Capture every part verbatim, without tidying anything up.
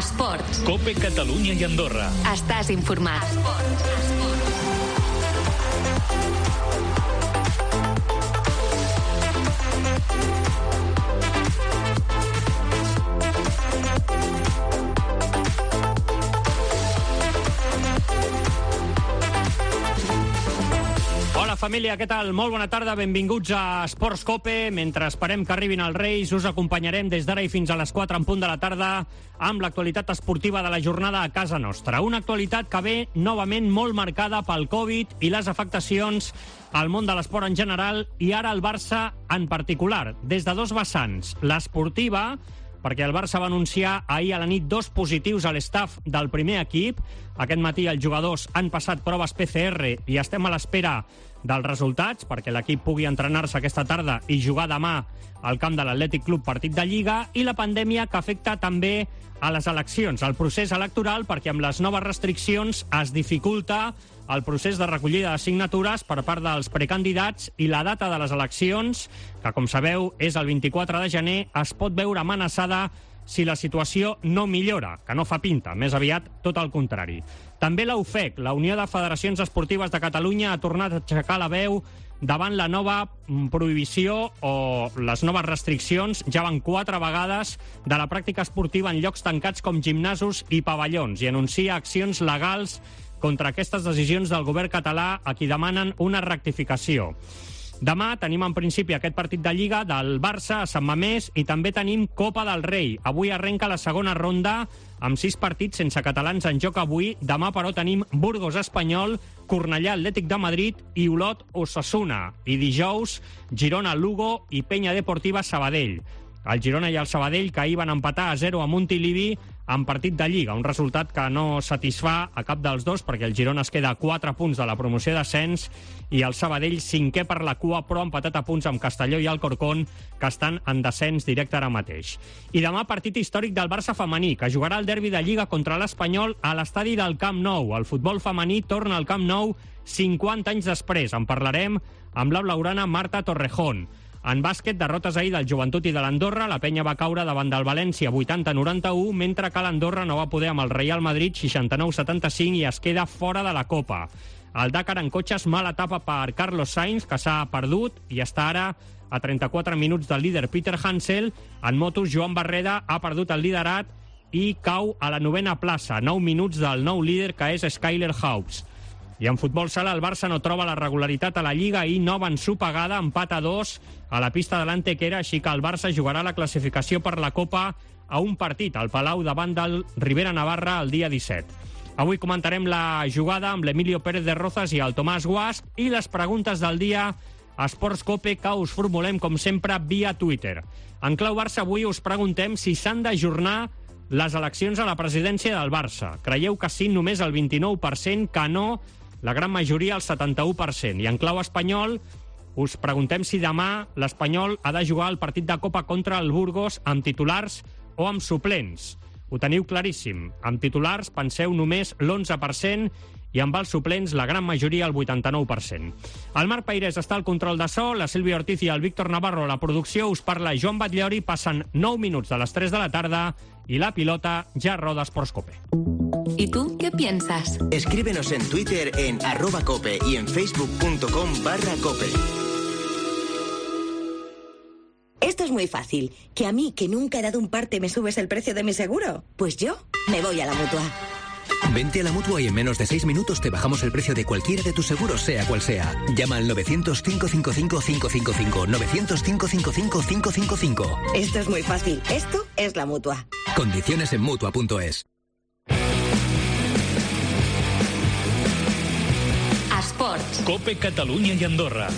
Esports. COPE Catalunya i Andorra. Estàs informat. Esports. Esports. Hola família, què tal? Molt bona tarda, benvinguts a Esports COPE. Mentre esperem que arribin els Reis, us acompanyarem des d'ara i fins a les quatre en punt de la tarda amb l'actualitat esportiva de la jornada a casa nostra. Una actualitat que ve novament molt marcada pel Covid i les afectacions al món de l'esport en general i ara el Barça en particular, des de dos vessants. L'esportiva, perquè el Barça va anunciar ahir a la nit dos positius a l'estaf del primer equip. Aquest matí els jugadors han passat proves P C R i estem a l'espera dels resultats perquè l'equip pugui entrenar-se aquesta tarda i jugar demà al camp de l'Atlètic Club partit de Lliga, i la pandèmia que afecta també a les eleccions, al procés electoral, perquè amb les noves restriccions es dificulta el procés de recollida de signatures per part dels precandidats, i la data de les eleccions, que com sabeu és el vint-i-quatre de gener, es pot veure amenaçada si la situació no millora, que no fa pinta, més aviat tot el contrari. També la U F E C, la Unió de Federacions Esportives de Catalunya, ha tornat a aixecar la veu davant la nova prohibició o les noves restriccions, ja van quatre vegades, de la pràctica esportiva en llocs tancats com gimnasos i pavellons, i anuncia accions legals contra aquestes decisions del govern català, a qui demanen una rectificació. Demà tenim en principi aquest partit de Lliga del Barça a Sant Mamés i també tenim Copa del Rei. Avui arrenca la segona ronda amb sis partits sense catalans en joc avui. Demà, però, tenim Burgos Espanyol, Cornellà Atlètic de Madrid i Olot Osasuna. I dijous, Girona Lugo i Penya Deportiva Sabadell. El Girona i el Sabadell, que ahir van empatar a zero a Montilivi en partit de Lliga, un resultat que no satisfà a cap dels dos, perquè el Girona es queda a quatre punts de la promoció d'ascens i el Sabadell cinquè per la cua, però empatat a punts amb Castelló i Alcorcón, que estan en descens directe ara mateix. I demà partit històric del Barça femení, que jugarà el derbi de Lliga contra l'Espanyol a l'estadi del Camp Nou. El futbol femení torna al Camp Nou cinquanta anys després. En parlarem amb la blaugrana Marta Torrejón. En bàsquet, derrotes ahir del Joventut i de l'Andorra. La penya va caure davant del València vuitanta a noranta-u, mentre que l'Andorra no va poder amb el Real Madrid seixanta-nou a setanta-cinc i es queda fora de la Copa. El Dakar en cotxes, mala etapa per Carlos Sainz, que s'ha perdut i està ara a trenta-quatre minuts del líder Peter Hansel. En motos, Joan Barreda ha perdut el liderat i cau a la novena plaça, nou minuts del nou líder, que és Skyler Hobbs. I en futbol sala, el Barça no troba la regularitat a la Lliga i nova ensopegada, empat a dos a la pista de l'Antequera, així que el Barça jugarà la classificació per la Copa a un partit al Palau davant del Rivera Navarra el dia disset. Avui comentarem la jugada amb l'Emilio Pérez de Rozas i el Tomàs Guasch, i les preguntes del dia a Esports COPE, que us formulem com sempre via Twitter. En clau Barça avui us preguntem si s'han d'ajornar les eleccions a la presidència del Barça. Creieu que sí, només el vint-i-nou per cent, que no, la gran majoria, el setanta-u per cent. I en clau espanyol, us preguntem si demà l'Espanyol ha de jugar el partit de Copa contra el Burgos amb titulars o amb suplents. Ho teniu claríssim. Amb titulars penseu només l'onze per cent i amb els suplents la gran majoria, el vuitanta-nou per cent. El Marc Peirés està al control de so, la Sílvia Ortiz i el Víctor Navarro a la producció. Us parla Joan Batllori. Passen nou minuts de les tres de la tarda y la pilota ya roda Esports COPE. ¿Y tú qué piensas? Escríbenos en Twitter en arroba cope y en facebook.com barra cope. Esto es muy fácil. ¿Que a mí, que nunca he dado un parte, me subes el precio de mi seguro? Pues yo me voy a la Mutua. Vente a la Mutua y en menos de seis minutos te bajamos el precio de cualquiera de tus seguros, sea cual sea. Llama al novecientos, cinco cinco cinco, cinco cinco cinco, novecientos, cinco cinco cinco, cinco cinco cinco. Esto es muy fácil. Esto es la Mutua. Condiciones en Mutua punto es. Esports. COPE Catalunya i Andorra.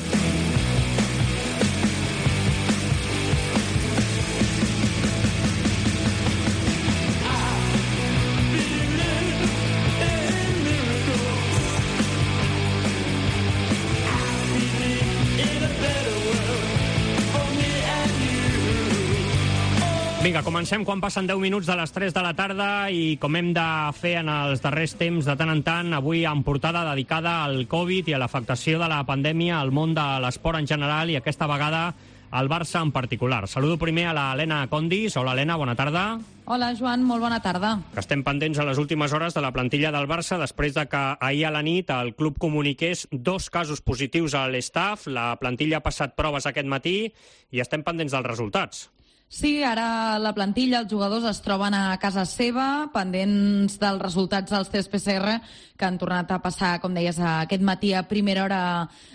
Vinga, comencem quan passen deu minuts de les tres de la tarda i com hem de fer en els darrers temps de tant en tant, avui en portada dedicada al Covid i a l'afectació de la pandèmia al món de l'esport en general, i aquesta vegada el Barça en particular. Saludo primer a l'Helena Condis. Hola, Helena, bona tarda. Hola, Joan, molt bona tarda. Estem pendents a les últimes hores de la plantilla del Barça després de que ahir a la nit el club comuniqués dos casos positius a l'estaf. La plantilla ha passat proves aquest matí i estem pendents dels resultats. Sí, ara la plantilla, els jugadors es troben a casa seva, pendents dels resultats dels tests P C R que han tornat a passar, com deies, aquest matí a primera hora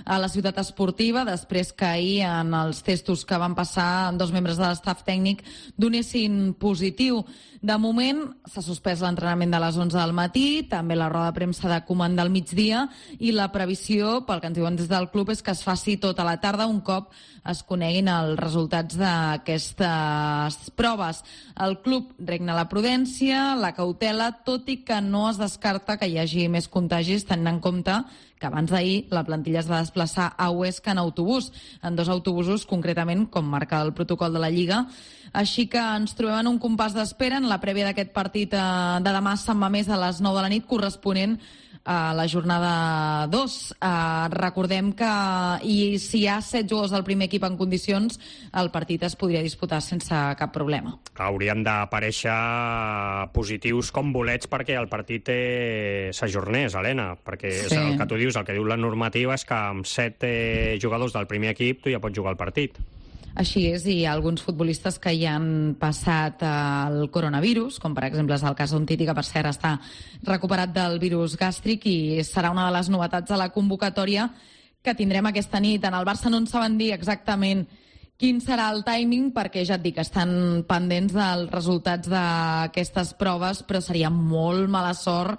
a la ciutat esportiva, després que ahir en els testos que van passar dos membres de l'estaf tècnic donessin positiu. De moment s'ha suspès l'entrenament de les onze del matí, també la roda de premsa de comanda al migdia, i la previsió, pel que ens diuen des del club, és que es faci tota la tarda un cop es coneguin els resultats d'aquestes proves. El club regna la prudència, la cautela, tot i que no es descarta que hi hagi més contagis, tenint en compte que abans d'ahir la plantilla es va desplaçar a Huesca en autobús, en dos autobusos concretament, com marca el protocol de la Lliga. Així que ens trobem en un compàs d'espera en la prèvia d'aquest partit de demà a Sant Mamés a les nou de la nit, corresponent a la jornada dos. Uh, recordem que i si hi ha set jugadors del primer equip en condicions, el partit es podria disputar sense cap problema. Haurien d'aparèixer positius com bolets perquè el partit eh, s'ajornés, Helena, perquè sí. És el que tu dius, el que diu la normativa és que amb set eh, jugadors del primer equip tu ja pots jugar el partit. Així és, i hi ha alguns futbolistes que hi han passat el coronavirus, com per exemple és el cas d'un Titi, que per cert està recuperat del virus gàstric, i serà una de les novetats de la convocatòria que tindrem aquesta nit. En el Barça no en saben dir exactament quin serà el timing, perquè ja et dic, estan pendents dels resultats d'aquestes proves, però seria molt mala sort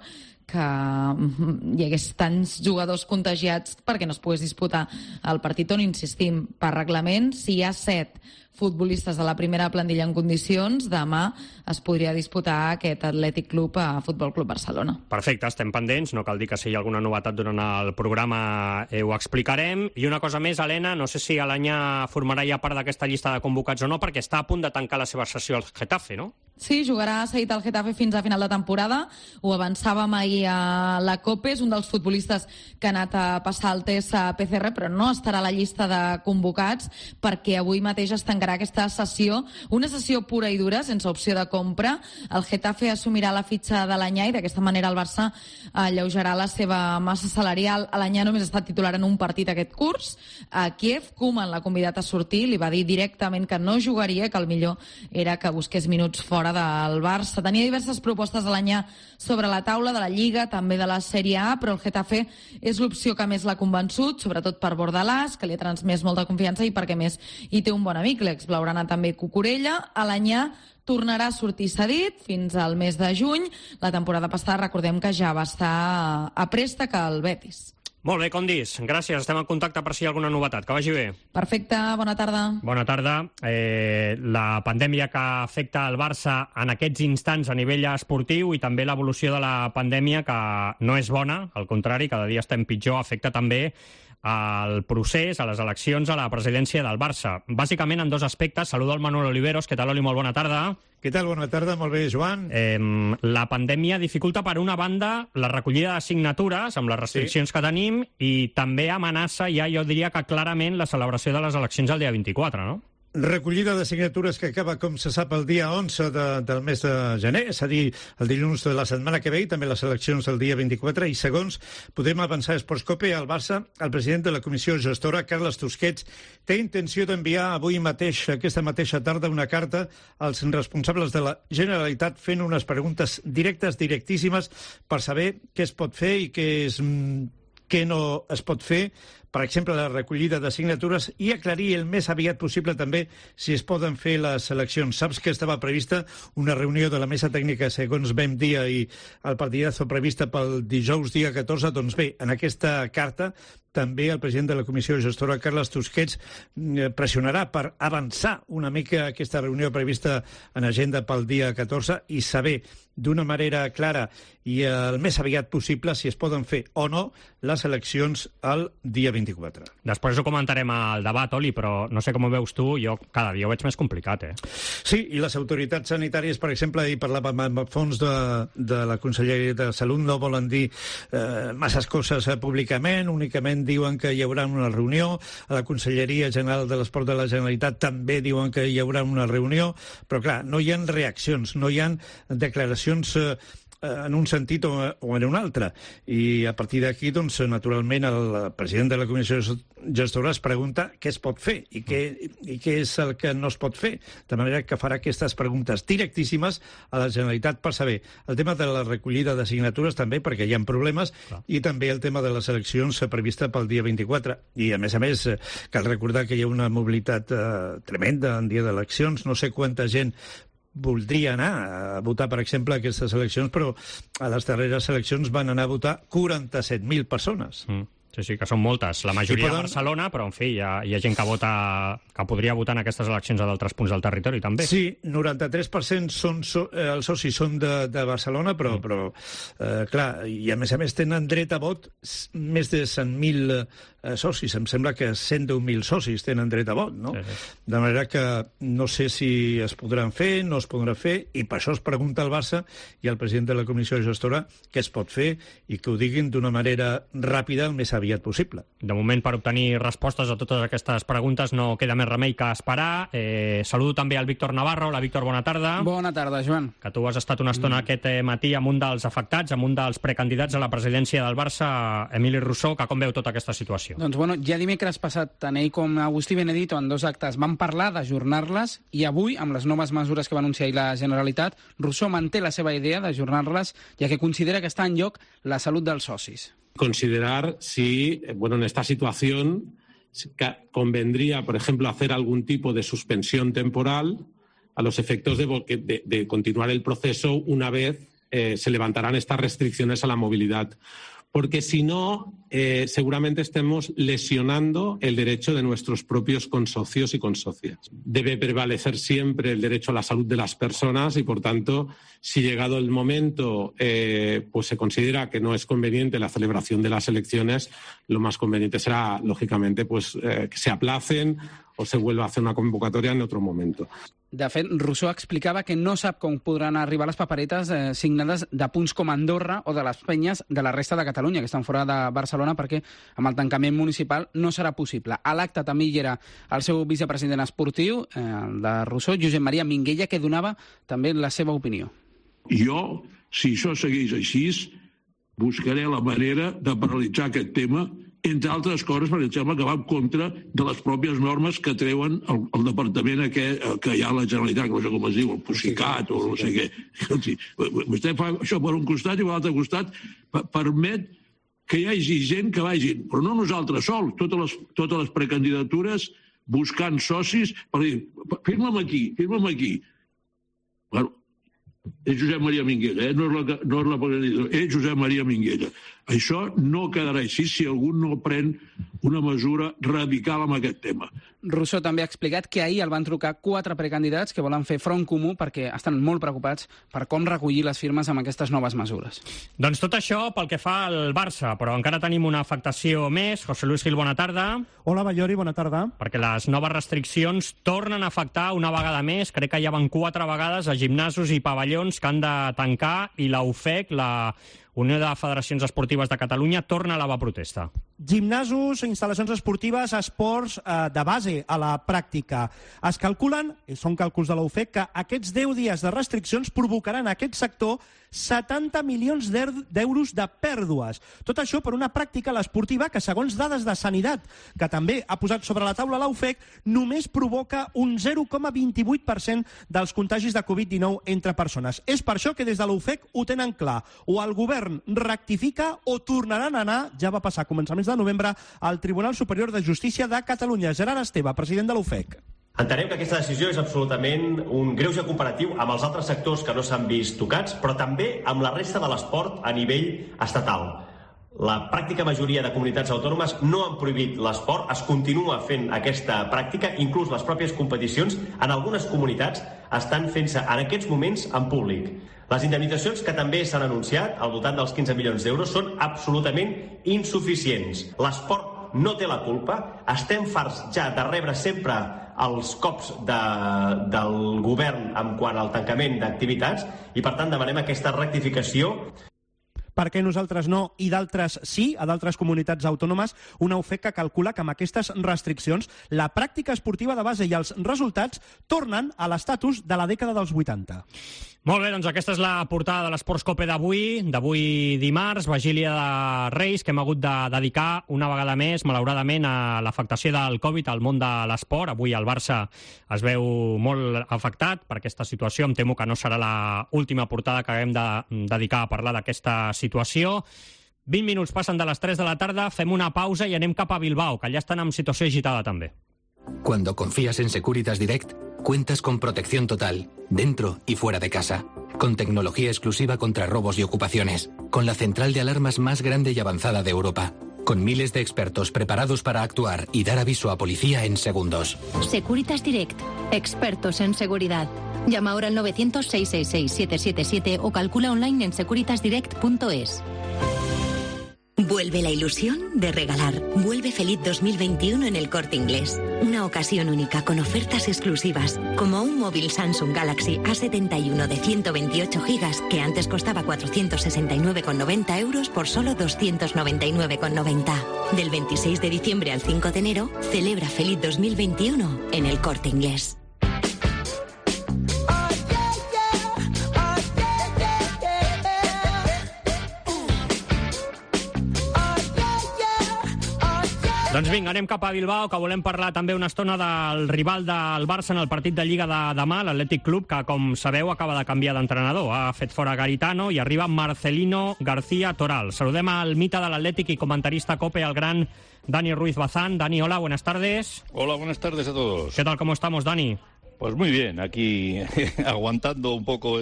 que hi hagués tants jugadors contagiats perquè no es pogués disputar el partit, on insistim, per reglament, si hi ha set futbolistes de la primera plantilla en condicions, demà es podria disputar aquest Atlètic Club a Futbol Club Barcelona. Perfecte, estem pendents, no cal dir que si hi ha alguna novetat durant el programa eh, ho explicarem. I una cosa més, Helena, no sé si Alanya formarà ja part d'aquesta llista de convocats o no, perquè està a punt de tancar la seva sessió al Getafe, no? Sí, jugarà seguit al Getafe fins a final de temporada. Ho avançàvem ahir a la COPE, és un dels futbolistes que ha anat a passar el test a P C R, però no estarà a la llista de convocats perquè avui mateix es tancarà aquesta sessió, una sessió pura i dura, sense opció de compra. El Getafe assumirà la fitxa de l'Anyà i d'aquesta manera el Barça alleujarà la seva massa salarial. L'Anyà només ha estat titular en un partit aquest curs. A Kiev, Koeman l'ha convidat a sortir, li va dir directament que no jugaria, que el millor era que busqués minuts fora del Barça. Tenia diverses propostes a l'Anyà sobre la taula, de la Lliga, també de la Sèrie A, però el Getafe és l'opció que més l'ha convençut, sobretot per Bordalàs, que li ha transmès molta confiança, i perquè més hi té un bon amic, l'exblaugrana també Cucurella. A l'Anyà tornarà a sortir cedit fins al mes de juny. La temporada passada recordem que ja va estar a préstec al Betis. Molt bé, Condis, gràcies. Estem en contacte per si hi ha alguna novetat. Que vagi bé. Perfecte, bona tarda. Bona tarda. Eh, la pandèmia que afecta el Barça en aquests instants a nivell esportiu i també l'evolució de la pandèmia, que no és bona, al contrari, cada dia estem pitjor, afecta també al procés, a les eleccions, a la presidència del Barça. Bàsicament en dos aspectes. Saludo al Manuel Oliveros. Què tal, Oli? Molt bona tarda. Què tal? Bona tarda, molt bé, Joan. Eh, la pandèmia dificulta, per una banda, la recollida de signatures amb les restriccions sí. que tenim, i també amenaça, ja jo diria que clarament, la celebració de les eleccions el dia vint-i-quatre, no? Recollida de signatures que acaba, com se sap, el dia onze de, del mes de gener, és a dir, el dilluns de la setmana que ve, i també les eleccions del dia vint-i-quatre, i segons podem avançar a Esports Cope, al Barça, el president de la comissió gestora, Carles Tusquets, té intenció d'enviar avui mateix, aquesta mateixa tarda, una carta als responsables de la Generalitat fent unes preguntes directes, directíssimes, per saber què es pot fer i què, és, què no es pot fer, per exemple, la recollida de signatures, i aclarir el més aviat possible també si es poden fer les eleccions. Saps que estava prevista una reunió de la mesa tècnica, segons vam dir, i el partidazo prevista pel dijous dia catorze. Doncs bé, en aquesta carta també el president de la comissió gestora, Carles Tusquets, pressionarà per avançar una mica aquesta reunió prevista en agenda pel dia catorze i saber d'una manera clara i el més aviat possible si es poden fer o no les eleccions el dia vint-i-quatre. Després ho comentarem al debat, Oli, però no sé com ho veus tu, jo cada dia ho veig més complicat, eh? Sí, i les autoritats sanitàries, per exemple, i parlàvem amb fons de, de la Conselleria de Salut, no volen dir eh, masses coses eh, públicament, únicament l'Ajuntament diuen que hi haurà una reunió, a la Conselleria General de l'Esport de la Generalitat també diuen que hi haurà una reunió, però clar, no hi ha reaccions, no hi ha declaracions eh, en un sentit o, o en un altre. I a partir d'aquí, doncs, naturalment, el president de la Comissió Gestora es pregunta què es pot fer i què, i què és el que no es pot fer. De manera que farà aquestes preguntes directíssimes a la Generalitat per saber el tema de la recollida de signatures també, perquè hi ha problemes, Clar. i també el tema de les eleccions prevista pel dia vint-i-quatre. I, a més a més, cal recordar que hi ha una mobilitat eh, tremenda en dia d'eleccions. No sé quanta gent voldria anar a votar, per exemple, aquestes eleccions, però a les darreres eleccions van anar a votar quaranta-set mil persones. Mm. Sí, sí, que són moltes. La majoria poden... a Barcelona, però, en fi, hi ha, hi ha gent que vota, que podria votar en aquestes eleccions a d'altres punts del territori, també. Sí, noranta-tres per cent són so, eh, els socis són de, de Barcelona, però, mm. però eh, clar, i a més a més tenen dret a vot més de cent mil eh, socis. Em sembla que cent deu mil socis tenen dret a vot, no? Sí, sí. De manera que no sé si es podran fer, no es podran fer, i per això es pregunta al Barça i al president de la Comissió Gestora què es pot fer i que ho diguin d'una manera ràpida el més aviat possible. De moment, per obtenir respostes a totes aquestes preguntes no queda més remei que esperar. Eh, saludo també al Víctor Navarro. Hola, Víctor, bona tarda. Bona tarda, Joan. Que tu has estat una estona mm. aquest matí amb un dels afectats, amb un dels precandidats a la presidència del Barça, Emili Rousseau, que com veu tota aquesta situació? Doncs, bueno, ja dimecres passat, tant ell com Agustí Benedito, en dos actes, van parlar d'ajornar-les, i avui, amb les noves mesures que va anunciar ahir la Generalitat, Rousseau manté la seva idea d'ajornar-les, ja que considera que està en joc la salut dels socis. Considerar si, bueno, en esta situación convendría, por ejemplo, hacer algún tipo de suspensión temporal a los efectos de, de, de continuar el proceso una vez eh, se levantarán estas restricciones a la movilidad. Porque si no, eh, seguramente estemos lesionando el derecho de nuestros propios consocios y consocias. Debe prevalecer siempre el derecho a la salud de las personas y, por tanto, si llegado el momento eh, pues se considera que no es conveniente la celebración de las elecciones, lo más conveniente será, lógicamente, pues eh, que se aplacen o se vuelva a hacer una convocatoria en otro momento. De fet, Rousseau explicava que no sap com podran arribar les paperetes eh, signades de punts com Andorra o de les penyes de la resta de Catalunya, que estan fora de Barcelona, perquè amb el tancament municipal no serà possible. A l'acte també hi era el seu vicepresident esportiu, eh, el de Rousseau, Josep Maria Minguella, que donava també la seva opinió. Jo, si això segueix així, buscaré la manera de paralitzar aquest tema, entre altres coses, perquè em sembla que va en contra de les pròpies normes que treuen el, el departament aquest, que hi ha a la Generalitat, que no sé com es diu, el Pusicat o no sé què. Vostè fa això per un costat i per l'altre costat permet que hi hagi gent que vagin, però no nosaltres sols, totes les, totes les precandidatures buscant socis per dir, firma'm aquí, firma'm aquí. Bueno, és Josep Maria Minguella, eh? no és la, no és la precandidatura, és Josep Maria Minguella. Això no quedarà així si algú no pren una mesura radical amb aquest tema. Rousseau també ha explicat que ahir el van trucar quatre precandidats que volen fer front comú perquè estan molt preocupats per com recollir les firmes amb aquestes noves mesures. Doncs tot això pel que fa al Barça, però encara tenim una afectació més. José Luis Gil, bona tarda. Hola, Ballori, bona tarda. Perquè les noves restriccions tornen a afectar una vegada més. Crec que ja van quatre vegades a gimnasos i pavellons que han de tancar, i la U F E C, la Unió de Federacions Esportives de Catalunya, torna a la protesta. Gimnasos, instal·lacions esportives, esports eh, de base a la pràctica. Es calculen, i són càlculs de la U F E C, que aquests deu dies de restriccions provocaran a aquest sector setanta milions d'euros de pèrdues. Tot això per una pràctica, l'esportiva, que segons dades de Sanitat, que també ha posat sobre la taula la U F E C, només provoca un zero coma vint-i-vuit per cent dels contagis de covid dinou entre persones. És per això que des de la U F E C ho tenen clar. O el govern rectifica o tornaran a anar, ja va passar a començaments de novembre, al Tribunal Superior de Justícia de Catalunya. Gerard Esteve, president de la U F E C. Entenem que aquesta decisió és absolutament un greuge comparatiu amb els altres sectors que no s'han vist tocats, però també amb la resta de l'esport a nivell estatal. La pràctica majoria de comunitats autònomes no han prohibit l'esport, es continua fent aquesta pràctica, inclús les pròpies competicions en algunes comunitats estan fent-se en aquests moments en públic. Les indemnitzacions que també s'han anunciat, al voltant dels quinze milions d'euros, són absolutament insuficients. L'esport no té la culpa, estem farts ja de rebre sempre els cops de, del govern en quant al tancament d'activitats i, per tant, demanem aquesta rectificació. per què nosaltres no i d'altres sí, a d'altres comunitats autònomes, una U F E C que calcula que amb aquestes restriccions la pràctica esportiva de base i els resultats tornen a l'estatus de la dècada dels vuitanta. Molt bé, doncs aquesta és la portada de l'Esports Cope d'avui, d'avui dimarts, Vigília de Reis, que hem hagut de dedicar una vegada més, malauradament, a l'afectació del Covid al món de l'esport. Avui el Barça es veu molt afectat per aquesta situació. Em temo que no serà l'última portada que haguem de dedicar a parlar d'aquesta situació. vint minuts passen de les tres de la tarda, fem una pausa i anem cap a Bilbao, que allà estan en situació agitada també. Cuando confías en Securitas Direct, cuentas con protección total, dentro y fuera de casa. Con tecnología exclusiva contra robos y ocupaciones. Con la central de alarmas más grande y avanzada de Europa. Con miles de expertos preparados para actuar y dar aviso a policía en segundos. Securitas Direct. Expertos en seguridad. Llama ahora al novecientos, seiscientos sesenta y seis, setecientos setenta y siete o calcula online en securitas direct punto es. Vuelve la ilusión de regalar. Vuelve Feliz dos mil veintiuno en El Corte Inglés. Una ocasión única con ofertas exclusivas, como un móvil Samsung Galaxy A setenta y uno de ciento veintiocho gigas que antes costaba cuatrocientos sesenta y nueve con noventa euros por solo doscientos noventa y nueve con noventa. Del veintiséis de diciembre al cinco de enero, celebra Feliz dos mil veintiuno en El Corte Inglés. Doncs vinga, anem cap a Bilbao, que volem parlar també una estona del rival del Barça en el partit de Lliga de demà, l'Atlètic Club, que, com sabeu, acaba de canviar d'entrenador. Ha fet fora Garitano i arriba Marcelino García Toral. Saludem al mite de l'Atlètic i comentarista COPE, el gran Dani Ruiz Bazán. Dani, hola, buenas tardes. Hola, buenas tardes a todos. ¿Qué tal, cómo estamos, Dani? Pues muy bien, aquí aguantando un poco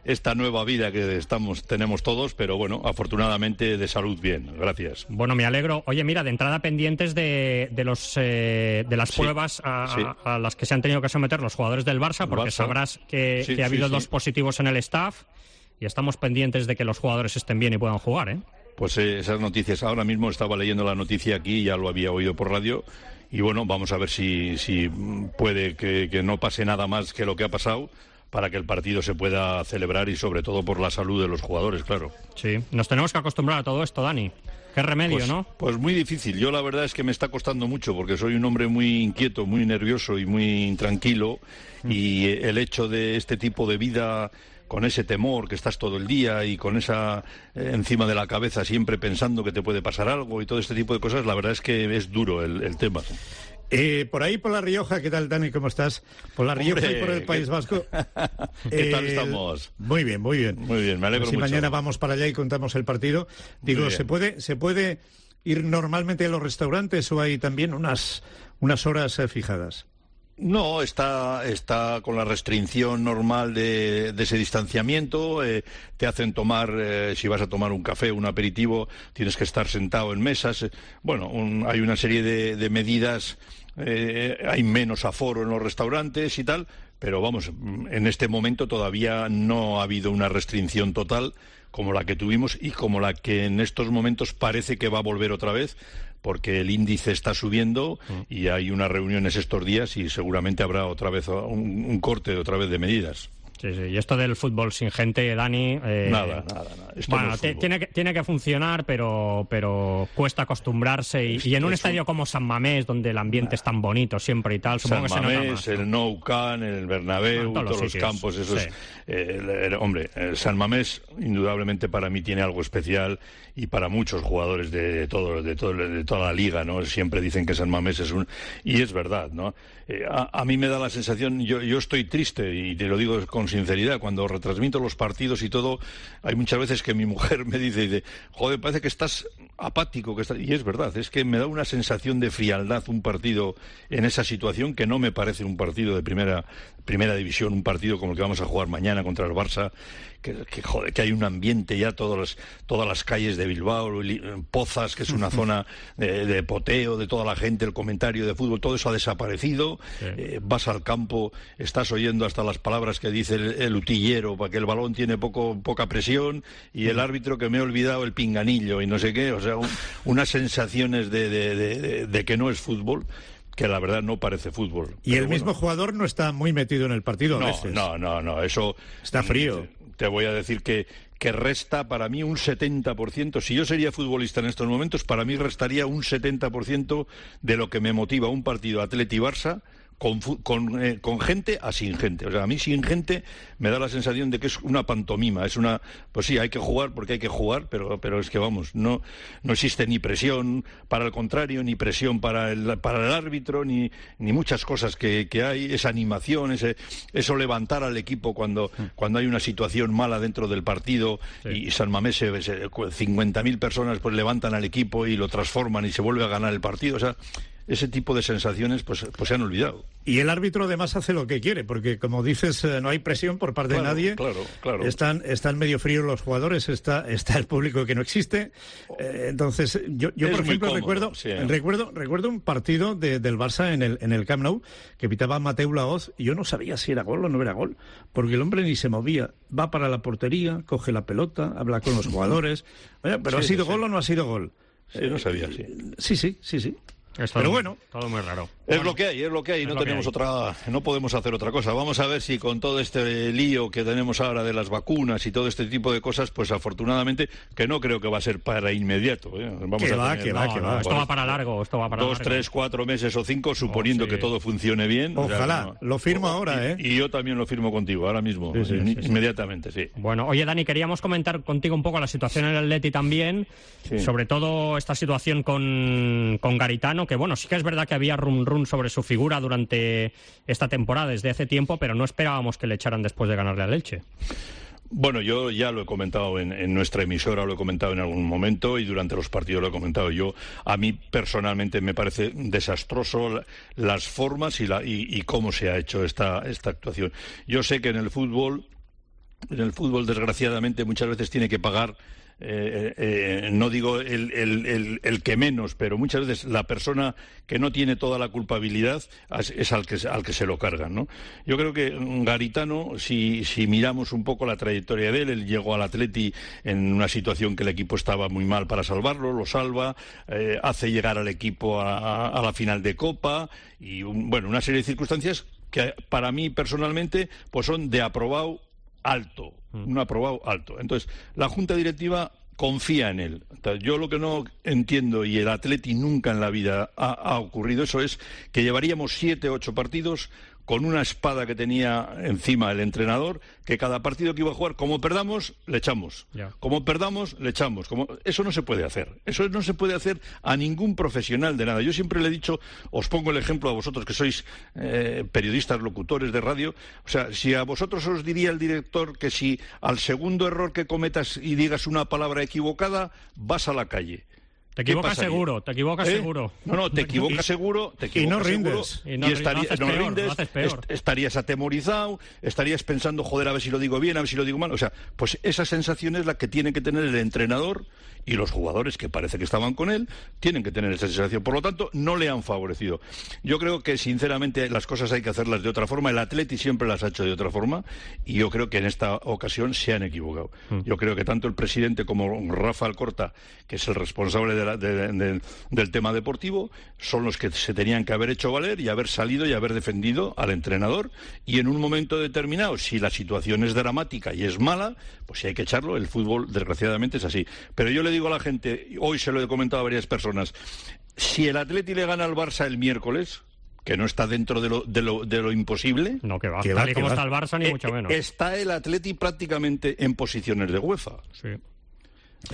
esta nueva vida que estamos tenemos todos, pero bueno, afortunadamente de salud bien, gracias. Bueno, me alegro. Oye, mira, de entrada pendientes de, de los eh, de las sí, pruebas a, sí. a, a las que se han tenido que someter los jugadores del Barça, porque Barça. sabrás que, sí, que ha habido sí, sí. dos positivos en el staff y estamos pendientes de que los jugadores estén bien y puedan jugar, ¿eh? Pues eh, esas noticias, ahora mismo estaba leyendo la noticia aquí, ya lo había oído por radio. Y bueno, vamos a ver si, si puede que, que no pase nada más que lo que ha pasado para que el partido se pueda celebrar y sobre todo por la salud de los jugadores, claro. Sí, nos tenemos que acostumbrar a todo esto, Dani. Qué remedio, pues, ¿no? Pues muy difícil. Yo la verdad es que me está costando mucho porque soy un hombre muy inquieto, muy nervioso y muy intranquilo. Mm. Y el hecho de este tipo de vida, con ese temor que estás todo el día y con esa eh, encima de la cabeza siempre pensando que te puede pasar algo y todo este tipo de cosas, la verdad es que es duro el, el tema. Eh, por ahí, por La Rioja, ¿qué tal, Dani? ¿Cómo estás? Por La Rioja Hombre, y por el País ¿qué... Vasco. ¿Qué tal estamos? Muy bien, muy bien. Muy bien, me alegro pues si mucho. mañana vamos para allá y contamos el partido. Digo, ¿se puede, ¿se puede ir normalmente a los restaurantes o hay también unas, unas horas eh, fijadas? No, está, está con la restricción normal de, de ese distanciamiento. Eh, te hacen tomar, eh, si vas a tomar un café, un aperitivo, tienes que estar sentado en mesas. Eh, bueno, un, hay una serie de, de medidas, eh, hay menos aforo en los restaurantes y tal, pero vamos, en este momento todavía no ha habido una restricción total como la que tuvimos y como la que en estos momentos parece que va a volver otra vez, porque el índice está subiendo y hay unas reuniones estos días y seguramente habrá otra vez un, un corte otra vez de medidas. Sí, sí. Y esto del fútbol sin gente, Dani... Eh, nada, nada, nada. Esto bueno, no es tiene, que, tiene que funcionar, pero, pero cuesta acostumbrarse. Y, y en un es estadio un... como San Mamés, donde el ambiente nah. es tan bonito siempre y tal, supongo San que Mamés, se nota más. El Nou Camp, el Bernabéu, ah, todos, todos los, los campos, esos... Sí. Eh, el, el, hombre, el San Mamés, indudablemente para mí tiene algo especial y para muchos jugadores de, todo, de, todo, de toda la liga, ¿no? Siempre dicen que San Mamés es un... Y es verdad, ¿no? Eh, a, a mí me da la sensación, yo, yo estoy triste, y te lo digo con sinceridad, cuando retransmito los partidos y todo, hay muchas veces que mi mujer me dice, dice joder, parece que estás apático, que estás... y es verdad, es que me da una sensación de frialdad un partido en esa situación que no me parece un partido de primera, primera división, un partido como el que vamos a jugar mañana contra el Barça, que, que joder, que hay un ambiente ya, todas las, todas las calles de Bilbao, Pozas, que es una zona de, de poteo de toda la gente, el comentario de fútbol, todo eso ha desaparecido. Sí. Eh, vas al campo, estás oyendo hasta las palabras que dice el, el utillero, para que el balón tiene poco, poca presión, y el árbitro que me he olvidado el pinganillo y no sé qué, o sea, un, unas sensaciones de, de, de, de, de que no es fútbol, que la verdad no parece fútbol. Y el bueno. mismo jugador no está muy metido en el partido a no, veces. No, no, no, eso... Está frío. Te voy a decir que, que resta para mí un setenta por ciento. Si yo sería futbolista en estos momentos, para mí restaría un setenta por ciento de lo que me motiva un partido Atleti-Barça, Con, con, eh, con gente a sin gente. O sea, a mí sin gente me da la sensación de que es una pantomima, es una... Pues sí, hay que jugar porque hay que jugar, pero, pero es que vamos, no, no existe ni presión para el contrario, ni presión para el, para el árbitro, ni, ni muchas cosas que, que hay, esa animación, ese, eso levantar al equipo cuando, cuando hay una situación mala dentro del partido, sí. y San Mamés, cincuenta mil personas pues levantan al equipo y lo transforman y se vuelve a ganar el partido. O sea, ese tipo de sensaciones pues, pues se han olvidado. Y el árbitro además hace lo que quiere, porque como dices, no hay presión por parte claro, de nadie. Claro, claro. Están, están medio fríos los jugadores, está, está el público que no existe. Eh, entonces, yo, yo por ejemplo cómodo, recuerdo, sí. recuerdo recuerdo un partido de, del Barça en el, en el Camp Nou que pitaba Mateu Laoz y yo no sabía si era gol o no era gol, porque el hombre ni se movía. Va para la portería, coge la pelota, habla con los jugadores. Oye, pero sí, ¿ha sido sí. gol o no ha sido gol? Sí, no sabía, sí. Sí, sí, sí, sí. Es pero todo, bueno, todo muy raro. Es bueno, lo que hay, es lo que hay, no tenemos hay. otra, no podemos hacer otra cosa. Vamos a ver si con todo este lío que tenemos ahora de las vacunas y todo este tipo de cosas, pues afortunadamente, que no creo que va a ser para inmediato. ¿eh? Vamos que a va, tener, que va, no, que va. Esto va para largo, esto va para dos, largo. tres, cuatro meses o cinco, suponiendo oh, sí. que todo funcione bien. Ojalá, o sea, no, lo firmo o, ahora, y, ¿eh? Y yo también lo firmo contigo, ahora mismo, sí, sí, sí, inmediatamente, sí. sí. Bueno, oye, Dani, queríamos comentar contigo un poco la situación en el Atleti también, sí. sobre todo esta situación con, con Garitano, que bueno, sí que es verdad que había rum rum sobre su figura durante esta temporada desde hace tiempo, pero no esperábamos que le echaran después de ganarle al Elche. Bueno, yo ya lo he comentado en, en nuestra emisora, lo he comentado en algún momento y durante los partidos lo he comentado yo. A mí personalmente me parece desastroso la, las formas y, la, y, y cómo se ha hecho esta, esta actuación. Yo sé que en el fútbol, en el fútbol desgraciadamente muchas veces tiene que pagar Eh, eh, no digo el, el, el, el que menos, pero muchas veces la persona que no tiene toda la culpabilidad es, es al que al que se lo cargan, ¿no? Yo creo que Garitano, si, si miramos un poco la trayectoria de él, él llegó al Atleti en una situación que el equipo estaba muy mal para salvarlo, lo salva, eh, hace llegar al equipo a, a, a la final de Copa y un, bueno, una serie de circunstancias que para mí personalmente pues son de aprobado alto, un aprobado alto. Entonces, la Junta Directiva confía en él. Entonces, yo lo que no entiendo, y el Atleti nunca en la vida ha, ha ocurrido eso, es que llevaríamos siete, ocho partidos con una espada que tenía encima el entrenador, que cada partido que iba a jugar, como perdamos, le echamos. Yeah. Como perdamos, le echamos. Como... Eso no se puede hacer. Eso no se puede hacer a ningún profesional de nada. Yo siempre le he dicho, os pongo el ejemplo a vosotros que sois eh, periodistas, locutores de radio. O sea, si a vosotros os diría el director que si al segundo error que cometas y digas una palabra equivocada, vas a la calle. Te equivocas seguro, te equivocas ¿Eh? seguro. No, no, te equivocas seguro, te equivocas y no rindes. Seguro, y no, y estaría, no, no peor, rindes, no est estarías atemorizado, estarías pensando, joder, a ver si lo digo bien, a ver si lo digo mal. O sea, pues esa sensación es la que tiene que tener el entrenador y los jugadores que parece que estaban con él, tienen que tener esa sensación. Por lo tanto, no le han favorecido. Yo creo que, sinceramente, las cosas hay que hacerlas de otra forma. El Atleti siempre las ha hecho de otra forma y yo creo que en esta ocasión se han equivocado. Mm. Yo creo que tanto el presidente como Rafa Alcorta, que es el responsable de la, de, de, de, del tema deportivo, son los que se tenían que haber hecho valer y haber salido y haber defendido al entrenador. Y en un momento determinado, si la situación es dramática y es mala, pues si hay que echarlo. El fútbol, desgraciadamente, es así. Pero yo le digo a la gente, hoy se lo he comentado a varias personas, si el Atleti le gana al Barça el miércoles, que no está dentro de lo, de lo, de lo imposible, no, que va, que tal va, y como va. está el Barça, ni eh, mucho menos. Está el Atleti prácticamente en posiciones de UEFA. Sí.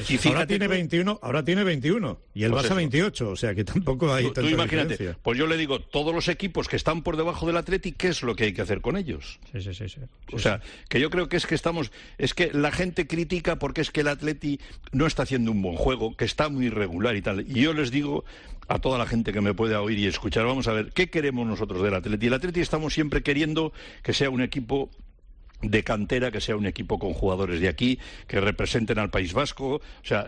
Y ahora tiene veintiuno, ahora tiene veintiuno y el pues Barça eso. veintiocho, o sea que tampoco hay tú, tanta tú imagínate, diferencia. Pues yo le digo, todos los equipos que están por debajo del Atleti, ¿qué es lo que hay que hacer con ellos? Sí, sí, sí, sí. O sí, sea, sí. que yo creo que es que estamos, es que la gente critica porque es que el Atleti no está haciendo un buen juego, que está muy irregular y tal. Y yo les digo a toda la gente que me pueda oír y escuchar, vamos a ver, ¿qué queremos nosotros del Atleti? El Atleti estamos siempre queriendo que sea un equipo de cantera, que sea un equipo con jugadores de aquí, que representen al País Vasco. O sea,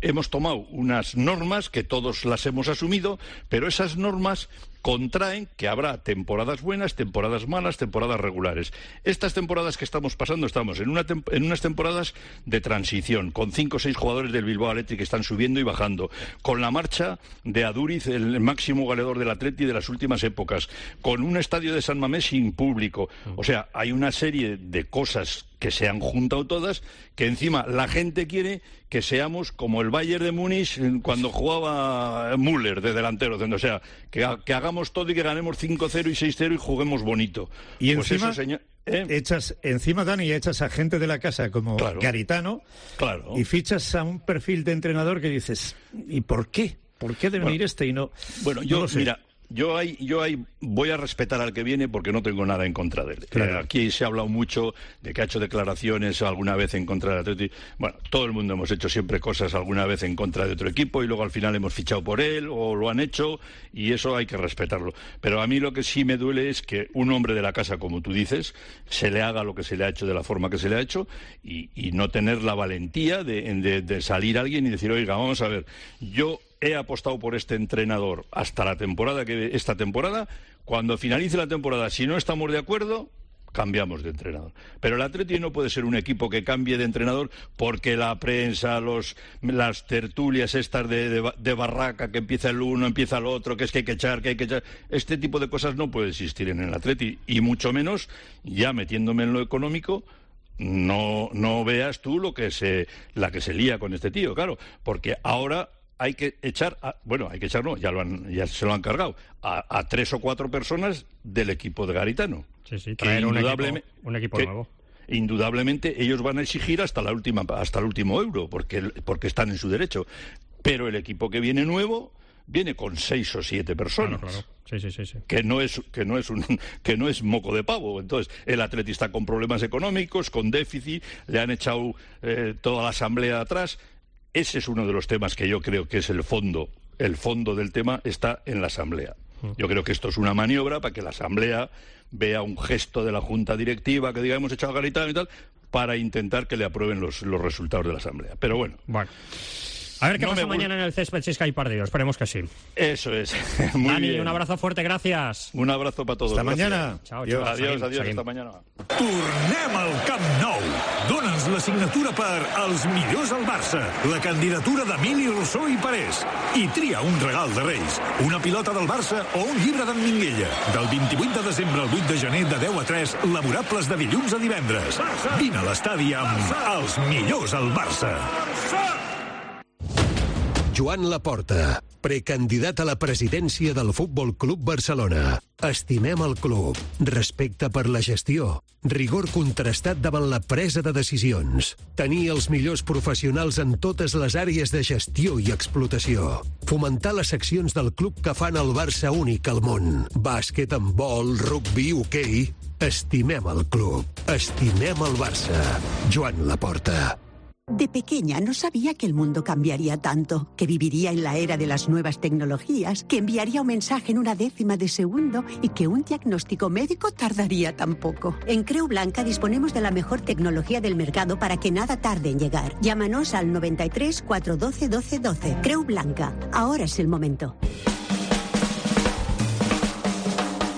hemos tomado unas normas que todos las hemos asumido, pero esas normas contraen que habrá temporadas buenas, temporadas malas, temporadas regulares. Estas temporadas que estamos pasando, estamos en, una tem- en unas temporadas de transición, con cinco o seis jugadores del Bilbao Athletic que están subiendo y bajando, con la marcha de Aduriz, el máximo goleador del Atleti de las últimas épocas, con un estadio de San Mamés sin público. O sea, hay una serie de cosas que se han juntado todas, que encima la gente quiere que seamos como el Bayern de Múnich cuando jugaba Müller de delantero, o sea, que, que hagamos todo y que ganemos cinco cero y seis cero y juguemos bonito. Y pues encima, eso, señor, ¿eh? echas, encima, Dani, echas a gente de la casa como claro, Garitano, claro, y fichas a un perfil de entrenador que dices, ¿y por qué? ¿Por qué debe venir bueno, este y no? Bueno, yo, no mira... Yo ahí, yo ahí voy a respetar al que viene porque no tengo nada en contra de él. Claro. Eh, aquí se ha hablado mucho de que ha hecho declaraciones alguna vez en contra del Atleti. Bueno, todo el mundo hemos hecho siempre cosas alguna vez en contra de otro equipo y luego al final hemos fichado por él o lo han hecho y eso hay que respetarlo. Pero a mí lo que sí me duele es que un hombre de la casa, como tú dices, se le haga lo que se le ha hecho de la forma que se le ha hecho y, y no tener la valentía de, de, de salir alguien y decir, oiga, vamos a ver, yo... he apostado por este entrenador hasta la temporada que esta temporada. Cuando finalice la temporada, si no estamos de acuerdo, cambiamos de entrenador. Pero el Atleti no puede ser un equipo que cambie de entrenador porque la prensa, los, las tertulias estas de, de, de barraca, que empieza el uno, empieza el otro, que es que hay que echar, que hay que echar. Este tipo de cosas no puede existir en el Atleti. Y mucho menos, ya metiéndome en lo económico, no, no veas tú lo que se, la que se lía con este tío, claro. Porque ahora... hay que echar, a, bueno, hay que echar, no, ya, lo han, ya se lo han cargado, a, a tres o cuatro personas del equipo de Garitano. Sí, sí, traer un equipo, un equipo que, nuevo. Indudablemente ellos van a exigir hasta la última, hasta el último euro, porque, porque están en su derecho. Pero el equipo que viene nuevo viene con seis o siete personas. Claro, claro. Sí, sí, sí, sí. Que no es, que no es un, que no es moco de pavo. Entonces, el Atleti está con problemas económicos, con déficit, le han echado eh, toda la asamblea atrás. Ese es uno de los temas que yo creo que es el fondo. El fondo del tema está en la Asamblea. Yo creo que esto es una maniobra para que la Asamblea vea un gesto de la Junta Directiva que diga hemos echado a Garitano y tal, para intentar que le aprueben los, los resultados de la Asamblea. Pero bueno. Bueno. A ver qué no pasa mañana en el césped si es que hay partido. Esperemos que sí. Eso es. Muy Dani, bien. Un abrazo fuerte, gracias. Un abrazo para todos. Hasta gracias. mañana. Chao, chao. Adiós, seguim, adiós, seguim. hasta mañana. Tornem al Camp Nou. Dóna'ns la signatura per als millors al Barça, la candidatura d'Emili Rossó i Parés. I tria un regal de Reis, una pilota del Barça o un llibre d'en Minguella. Del vint-i-vuit de desembre al vuit de gener de deu a tres, laborables de dilluns a divendres. Vine a l'estadi amb els millors al Barça. Joan Laporta, precandidat a la presidència del Futbol Club Barcelona. Estimem el club, respecte per la gestió, rigor contrastat davant la presa de decisions, tenir els millors professionals en totes les àrees de gestió i explotació, fomentar les seccions del club que fan el Barça únic al món, bàsquet, handbol, rugby, hoquei... Estimem el club, estimem el Barça. Joan Laporta. De pequeña no sabía que el mundo cambiaría tanto, que viviría en la era de las nuevas tecnologías, que enviaría un mensaje en una décima de segundo y que un diagnóstico médico tardaría tan poco. En Creu Blanca disponemos de la mejor tecnología del mercado para que nada tarde en llegar. Llámanos al noventa y tres, cuatrocientos doce, doce doce. Creu Blanca. Ahora es el momento.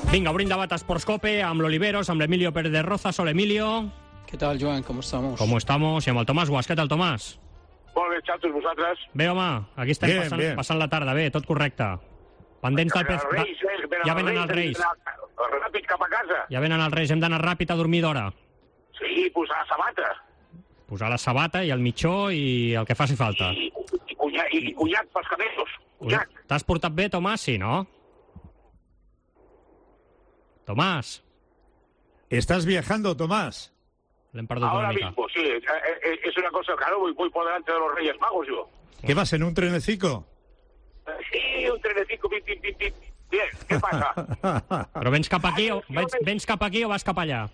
Vinga, obrim debat a Sports Cope amb l'Oliveros, amb l'Emilio Pérez de Rozas. Hola, Emilio. ¿Qué tal, Joan? ¿Cómo estamos? ¿Cómo estamos? I amb el Tomàs Guas. Què tal, Tomàs? Molt bé, xatos, vosaltres? Bé, home, aquí estem bien, passant, bien. passant la tarda. Bé, tot correcte. Pendents del pes... Reis, eh, Ja venen els Reis. Ràpid cap a casa. Ja venen els Reis. Hem d'anar ràpid a dormir d'hora. Sí, posar la sabata. Posar la sabata i el mitjó i el que faci falta. I, i, cunyac, i, i cunyac pels camellos. Cunyac. T'has portat bé, Tomàs? Sí, no? Tomàs. ¿Estás viajando, Tomás? L'hem perdut Ahora una mica. mismo, sí. Es, es, es una cosa, claro, voy, voy por delante de los Reyes Magos yo. ¿Qué vas, en un trenecico? Sí, un trenecico, pim, pim, pim, pim. Bien, què passa? Però vens cap aquí o, vens, vens cap aquí o vas cap allà?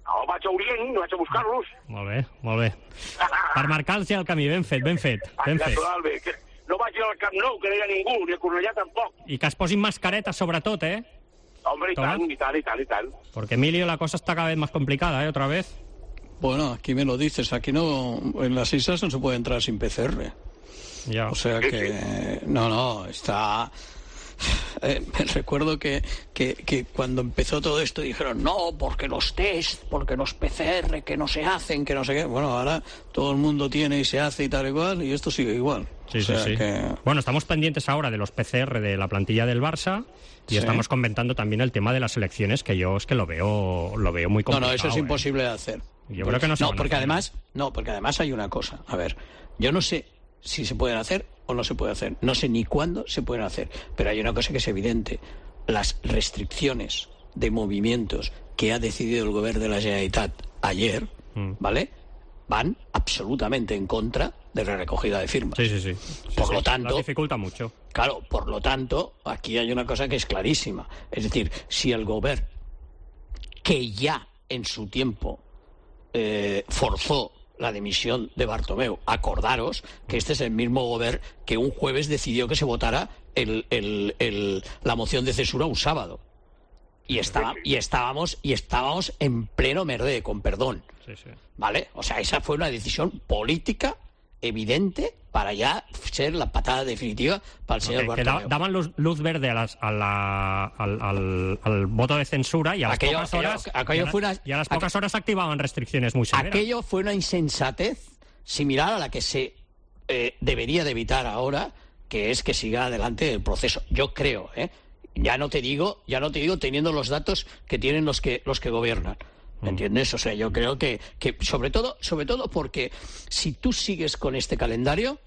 No, vaig a Orient, vaig a buscar-los. Molt bé, molt bé. Per marcar-los el camí, ben fet, ben fet. Ben fet. Natural, bé. Que no vaig ir al Camp Nou, que no hi ha ningú, ni a Cornellà tampoc. I que es posin mascaretes sobretot, eh? Hombre, y tal, y tal, y tal, y tal. Porque, Emilio, la cosa está cada vez más complicada, ¿eh? Otra vez. Bueno, aquí me lo dices. Aquí no, en las islas no se puede entrar sin P C R. Ya. O sea que, no, no, está... Eh, me recuerdo que, que, que cuando empezó todo esto dijeron no, porque los test, porque los P C R que no se hacen, que no sé qué. Bueno, ahora todo el mundo tiene y se hace y tal y cual, y esto sigue igual. Sí, o sea sí, sí. Que... Bueno, estamos pendientes ahora de los P C R de la plantilla del Barça y sí. estamos comentando también el tema de las elecciones, que yo es que lo veo, lo veo muy complicado. No, no, eso es ¿eh? imposible de hacer. Yo creo que no se No, van a porque hacer. además, no, porque además hay una cosa. A ver, yo no sé si se pueden hacer o no se puede hacer. No sé ni cuándo se pueden hacer. Pero hay una cosa que es evidente. Las restricciones de movimientos que ha decidido el gobierno de la Generalitat ayer, mm. ¿vale?, van absolutamente en contra de la recogida de firmas. Sí, sí, sí. sí por sí, lo tanto... Las dificulta mucho. Claro, por lo tanto, aquí hay una cosa que es clarísima. Es decir, si el gobierno, que ya en su tiempo eh, forzó la dimisión de Bartomeu, acordaros que este es el mismo gobierno que un jueves decidió que se votara el, el, el, la moción de censura un sábado. Y, estaba, y, estábamos, y estábamos en pleno merde, con perdón. Sí, sí. ¿Vale? O sea, esa fue una decisión política evidente para ya ser la patada definitiva para el señor okay, Bartomeu. Que daban luz, luz verde a las, a la, al, al, al voto de censura y a las aquello, pocas horas, aquello, aquello y a, fue una, y a las pocas horas activaban restricciones muy severas. Aquello fue una insensatez similar a la que se eh, debería de evitar ahora, que es que siga adelante el proceso. Yo creo, ¿eh? Ya no te digo, ya no te digo teniendo los datos que tienen los que los que gobiernan. ¿Me entiendes? O sea, yo creo que, que sobre todo, sobre todo porque si tú sigues con este calendario,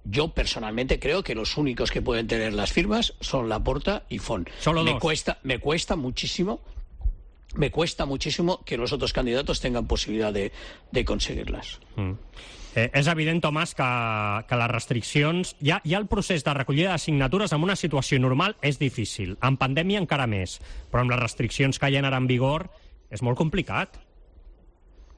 yo personalmente creo que los únicos que pueden tener las firmas son Laporta y Font. Solo me dos. cuesta, me cuesta muchísimo, me cuesta muchísimo que los otros candidatos tengan posibilidad de, de conseguirlas. Mm. Eh, és evident, Tomàs, que, que les restriccions... Ja, ja el procés de recollida de signatures en una situació normal és difícil. En pandèmia encara més. Però amb les restriccions que hi ha ara en vigor és molt complicat.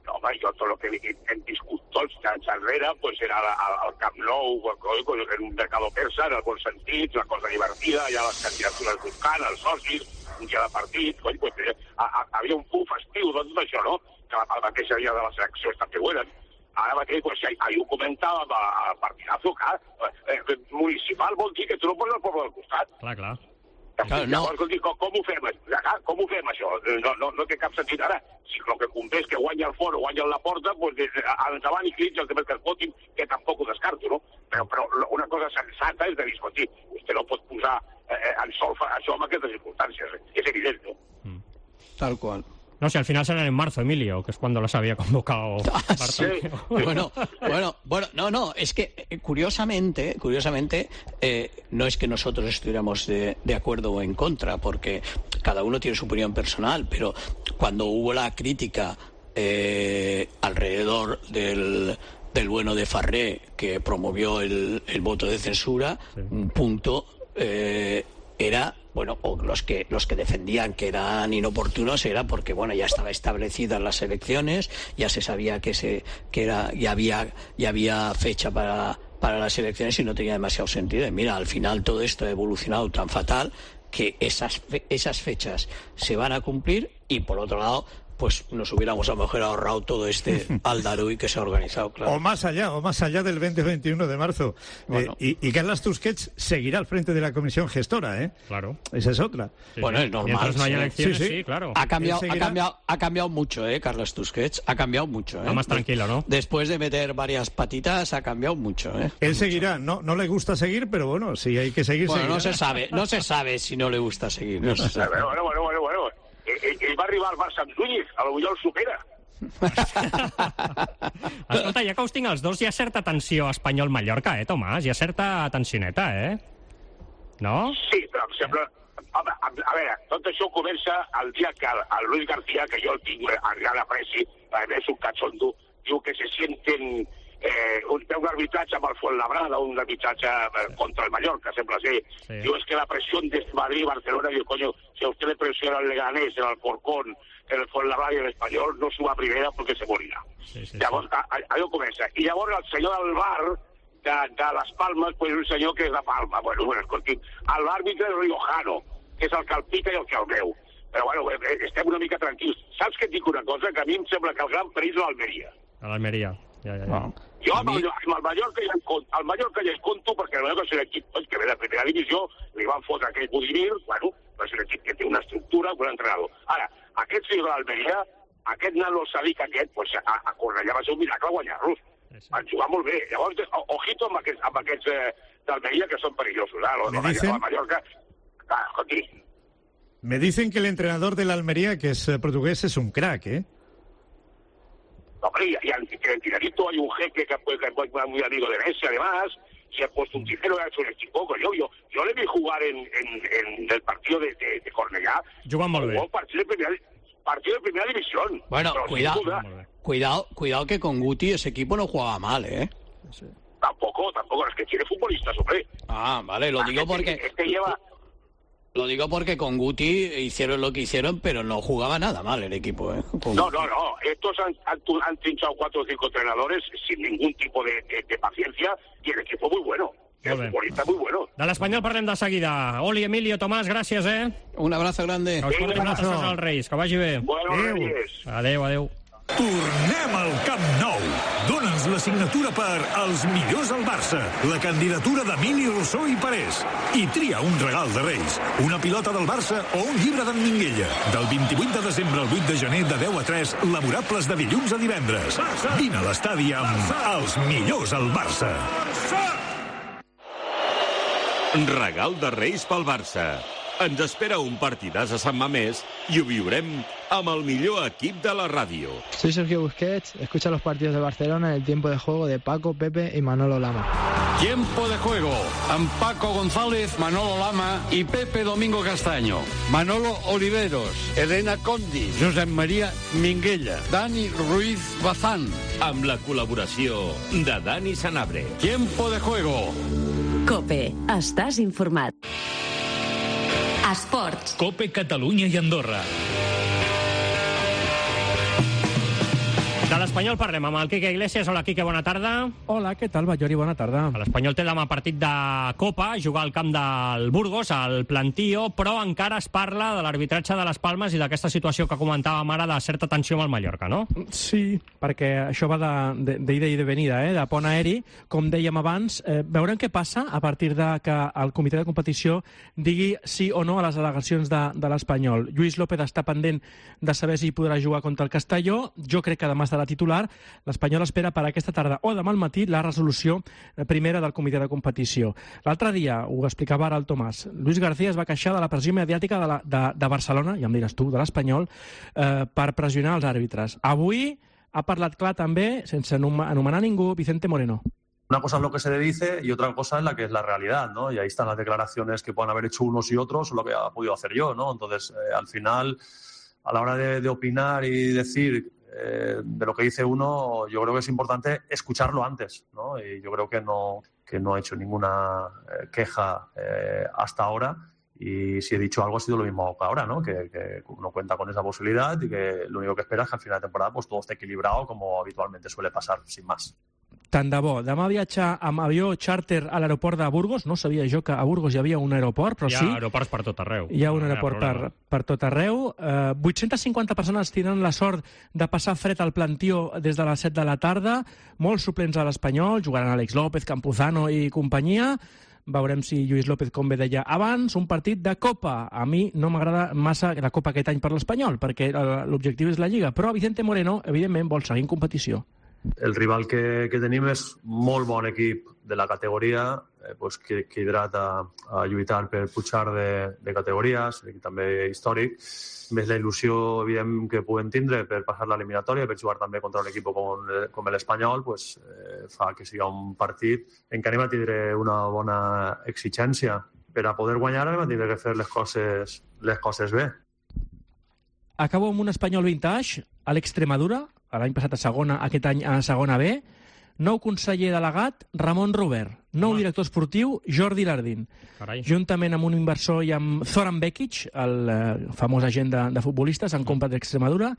No, home, jo tot el que hem viscut tots anys enrere pues era al Camp Nou, en un mercado persa, en el bon sentit, una cosa divertida, hi ha les candidatures buscant, els socis, un dia de partit, coi, pues, a, a, havia un punt festiu de tot això, no? Que la, la mateixa dia de les eleccions també ho eren. Ara mateix, pues, ahir ho comentàvem al partidazo, clar, eh, municipal vol dir que tu no poses el poble del costat. Clar, clar. Claro, no. Llavors, com, com ho fem? Com ho fem, això? No, no, no té cap sentit ara. Si el que convé és que guanya el Foro, guanya la Porta, pues, endavant i crits els demés que es votin, que tampoc ho descarto, no? Però, però una cosa sensata és de dir, escolti, vostè no pot posar eh, en solfa això amb aquestes circumstàncies. És evident, no? Mm. Tal qual. No, si al final será en marzo, Emilio, que es cuando las había convocado. Ah, sí. Bueno, bueno, bueno, no, no, es que eh, curiosamente, curiosamente, eh, no es que nosotros estuviéramos de, de acuerdo o en contra, porque cada uno tiene su opinión personal, pero cuando hubo la crítica eh, alrededor del, del bueno de Farré, que promovió el, el voto de censura, sí. un punto eh, era... Bueno, o los que los que defendían que eran inoportunos era porque bueno ya estaba establecidas las elecciones, ya se sabía que se que era ya había ya había fecha para para las elecciones y no tenía demasiado sentido. Y mira, al final todo esto ha evolucionado tan fatal que esas fe, esas fechas se van a cumplir y por otro lado pues nos hubiéramos a lo mejor ahorrado todo este aldaruy que se ha organizado, claro. O más allá, o más allá del veinte veintiuno de marzo. Bueno. Eh, y, y Carles Tusquets seguirá al frente de la comisión gestora, ¿eh? Claro. Esa es otra. Sí, bueno, es normal. Mientras no haya sí. elecciones, sí, sí. sí, claro. Ha cambiado, ha cambiado, ha cambiado mucho, ¿eh? Carles Tusquets ha cambiado mucho, ¿eh? Está más tranquilo, ¿no? Después de meter varias patitas, ha cambiado mucho, ¿eh? Él mucho. seguirá, no, no le gusta seguir, pero bueno, si hay que seguir, bueno, seguirá. no se sabe, no se sabe si no le gusta seguir. No se sabe. Bueno, bueno, bueno, bueno, bueno. Ell, ell va arribar al Barça amb Núñez, a lo millor el supera. Escolta, ja que us tinc els dos, hi ha certa tensió Espanyol-Mallorca, eh, Tomàs? Hi ha certa tensioneta, eh? No? Sí, però em sembla... Home, a, a veure, tot això comença el dia que el, el Luis García, que jo el tinc a gran apreci, és un cachondo, diu que se sienten... Eh, un, un arbitratge amb el Fuenlabrada, un arbitratge contra el Mallorca, sembla ser. Sí. Diu, es que la presión de Madrid y Barcelona, diu, coño, si a usted le presiona el Leganés, el Alcorcón, el Fuenlabrada i l'Espanyol, no suba a primera perquè se morirà. Sí, sí, llavors, sí. allò comença. I llavors el senyor del bar de, de les Palmes, pues un senyor que és de Palma. Bueno, bueno, escolti, l'àrbitre és riojano, que és el que el pica i el que el veu. Però bueno, estem una mica tranquils. Saps que et dic una cosa? Que a mi em sembla que el gran perill és l'Almeria. A l'Almeria. Ja, ja, ja. Jo amb el, amb el Mallorca ja en compto, el Mallorca ja en compto perquè el Mallorca és un equip que ve de primera divisió, li van fotre aquell Budimir, bueno, és un equip que té una estructura, un entrenador. Ara, aquest fill de l'Almeria, aquest nano Sadik aquest, pues, a, a Cornellà va ser un miracle guanyar-los. Sí, sí. Van jugar molt bé. Llavors, ojito amb aquests, amb aquests eh, d'Almeria que són perillosos. Eh? Los, los, los Mallorca, ah, aquí. Me dicen que el entrenador de la Almería, que es portugués, es un crack, ¿eh? Hombre, y, y en Tiradito hay un jeque que es muy amigo de Messi, además, y ha puesto un tijero y ha hecho un equipo. Yo, yo, yo le vi jugar en, en, en el partido de, de, de Cornellà. Jugant molt bé. Un partido de primera, partido de primera división. Bueno, cuidado, cuidado, cuidado que con Guti ese equipo no jugaba mal, ¿eh? Sí. Tampoco, tampoco, es que tiene futbolistas, hombre. Ah, vale, lo digo porque... Este, este lleva... Lo digo porque con Guti hicieron lo que hicieron, pero no jugaba nada mal el equipo, ¿eh? Con no, Guti. no, no. Estos han, han, han trinchado cuatro o cinco entrenadores sin ningún tipo de, de, de paciencia y el equipo muy bueno. El futbolista muy bueno. De l'Espanyol parlem de seguida. Oli, Emilio, Tomàs, gràcies, eh? Un abrazo grande. Que us portin moltes coses als Reis. Que vagi bé. Bueno, Reis. Adéu, adéu. Tornem al Camp Nou. Dóna'ns la signatura per Els millors al Barça, la candidatura d'Emili Rossó i Parés. I tria un regal de Reis, una pilota del Barça o un llibre d'en Minguella. Del vint-i-vuit de desembre al vuit de gener de deu a tres, laborables de dilluns a divendres. Vine a l'estadi amb Els millors al Barça. Regal de Reis pel Barça. Ens espera un partidàs a Sant Mamés i ho viurem amb el millor equip de la ràdio. Soy Sergio Busquets, escucha los partidos de Barcelona en el tiempo de juego de Paco, Pepe y Manolo Lama. Tiempo de juego amb Paco González, Manolo Lama y Pepe Domingo Castaño. Manolo Oliveros, Elena Condi, Josep María Minguella, Dani Ruiz Bazán. Amb la col·laboració de Dani Sanabria. Tiempo de juego. COPE. Estàs informat. Esports. COPE Catalunya i Andorra. De l'Espanyol parlem amb el Quique Iglesias. Hola, Quique, bona tarda. Hola, què tal, Ballori? Bona tarda. L'Espanyol té demà partit de Copa, jugar al camp del Burgos, al Plantío, però encara es parla de l'arbitratge de les Palmes i d'aquesta situació que comentàvem ara de certa tensió amb el Mallorca, no? Sí, perquè això va d'ida i de venida, eh? De pont aeri. Com dèiem abans, eh, veurem què passa a partir de que el comitè de competició digui sí o no a les al·legacions de, de l'Espanyol. Lluís López està pendent de saber si podrà jugar contra el Castelló. Jo crec que demà estarà titular. L'Espanyol espera per aquesta tarda o demà al matí la resolució primera del comitè de competició. L'altre dia, ho explicava ara el Tomàs, Luis García es va queixar de la pressió mediàtica de, la, de, de Barcelona, ja em diràs tu, de l'Espanyol, eh, per pressionar els àrbitres. Avui ha parlat clar també, sense anomenar ningú, Vicente Moreno. Una cosa es lo que se le dice y otra cosa es la que es la realidad, ¿no? Y ahí están las declaraciones que puedan haber hecho unos y otros o lo que ha podido hacer yo, ¿no? Entonces, eh, al final, a la hora de, de opinar y decir Eh, de lo que dice uno, yo creo que es importante escucharlo antes, ¿no? Y yo creo que no, que no he hecho ninguna eh, queja eh, hasta ahora y si he dicho algo ha sido lo mismo que ahora, ¿no? Que, que uno cuenta con esa posibilidad y que lo único que espera es que al final de temporada pues todo esté equilibrado como habitualmente suele pasar, sin más. Tant de bo. Demà viatja amb avió charter a l'aeroport de Burgos. No sabia jo que a Burgos hi havia un aeroport, però hi ha sí. Hi ha aeroports per tot arreu. Hi ha un no aeroport hi ha per, per tot arreu. Uh, vuit-centes cinquanta persones tindran la sort de passar fred al Plantío des de les set de la tarda. Molts suplents a l'Espanyol. Jugaran Àlex López, Campuzano i companyia. Veurem si Lluís López, com bé deia abans, un partit de Copa. A mi no m'agrada massa la Copa aquest any per l'Espanyol, perquè l'objectiu és la Lliga. Però Vicente Moreno, evidentment, vol seguir en competició. El rival que, que tenim és molt bon equip de la categoria, eh, pues, que, que hidrata a lluitar per pujar de, de categories, i també històric, més la il·lusió evident que puguem tindre per passar l'eliminatòria, per jugar també contra un equip com, com l'Espanyol, pues, eh, fa que siga un partit en què anem a tindre una bona exigència. Per a poder guanyar anem a tindre que fer les coses, les coses bé. Acabo amb un Espanyol vintage, a l'Extremadura, l'any passat a segona, aquest any a segona B. Nou conseller delegat, Ramon Robert. Nou director esportiu, Jordi Lardín. Carai. Juntament amb un inversor i amb Zoran Bekic, el eh, famós agent de, de futbolistes, han comprat l'Extremadura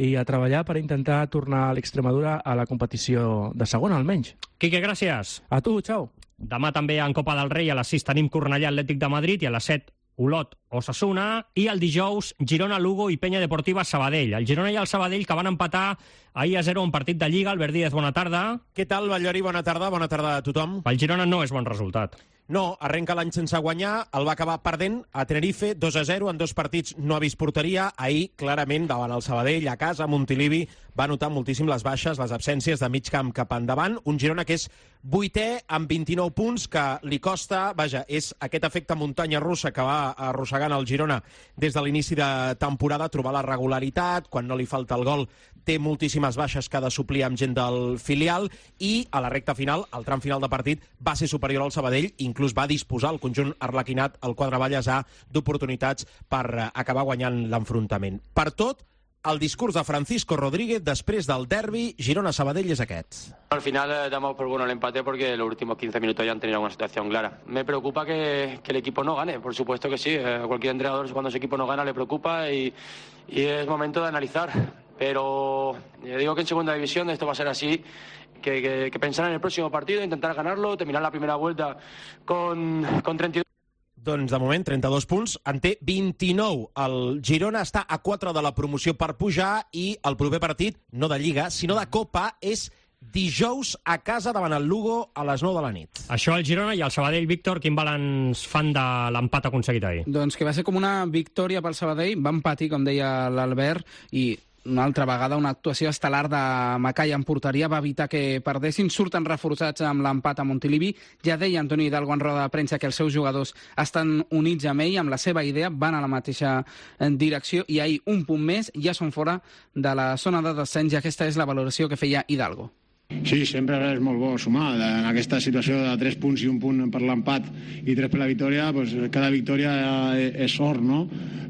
i a treballar per intentar tornar a l'Extremadura a la competició de segona, almenys. Quique, gràcies. A tu, xau. Demà també en Copa del Rei a les sis tenim Cornellà Atlètic de Madrid i a les set Olot Osasuna, i el dijous Girona, Lugo i Penya Deportiva Sabadell. El Girona i el Sabadell que van empatar ahir a zero un partit de Lliga. Albert Díaz, bona tarda. Què tal, Ballori? Bona tarda, bona tarda a tothom. El Girona no és bon resultat. No, arrenca l'any sense guanyar, el va acabar perdent a Tenerife, dos a zero, en dos partits no ha vist porteria. Ahir, clarament, davant el Sabadell, a casa, a Montilivi, va notar moltíssim les baixes, les absències de mig camp cap endavant. Un Girona que és vuitè amb vint-i-nou punts, que li costa, vaja, és aquest efecte muntanya russa que va arrossegant el Girona des de l'inici de temporada, trobar la regularitat, quan no li falta el gol, té moltíssimes baixes que ha de suplir amb gent del filial, i a la recta final, al tram final de partit, va ser superior al Sabadell, inclús va disposar el conjunt arlequinat, el quadre Vallèsà, d'oportunitats per acabar guanyant l'enfrontament. Per tot, el discurs de Francisco Rodríguez després del derbi Girona-Sabadell és aquest. Al final eh, damos por bueno el empate porque los últimos quince minutos ya han tenido una situación clara. Me preocupa que, que el equipo no gane, por supuesto que sí. Eh, cualquier entrenador cuando su equipo no gana le preocupa y, y es momento de analizar. Pero eh, digo que en segunda división esto va a ser así. Que, que, que pensar en el próximo partido, intentar ganarlo, terminar la primera vuelta con, con trenta y dos. Doncs de moment, trenta-dos punts, en té vint-i-nou. El Girona està a quatre de la promoció per pujar i el proper partit, no de Lliga, sinó de Copa, és dijous a casa davant el Lugo a les nou de la nit. Això el Girona i el Sabadell. Víctor, quin balanç fan de l'empat aconseguit ahir? Doncs que va ser com una victòria pel Sabadell, van patir, com deia l'Albert, i una altra vegada una actuació estel·lar de Macai en porteria va evitar que perdessin. Surten reforçats amb l'empat a Montilivi. Ja deia Antoni Hidalgo en roda de premsa que els seus jugadors estan units amb ell, amb la seva idea, van a la mateixa direcció i ahir un punt més ja són fora de la zona de descens i aquesta és la valoració que feia Hidalgo. Sí, sempre és molt bo sumar. En aquesta situació de tres punts i un punt per l'empat i tres per la victòria, doncs cada victòria és sort, no?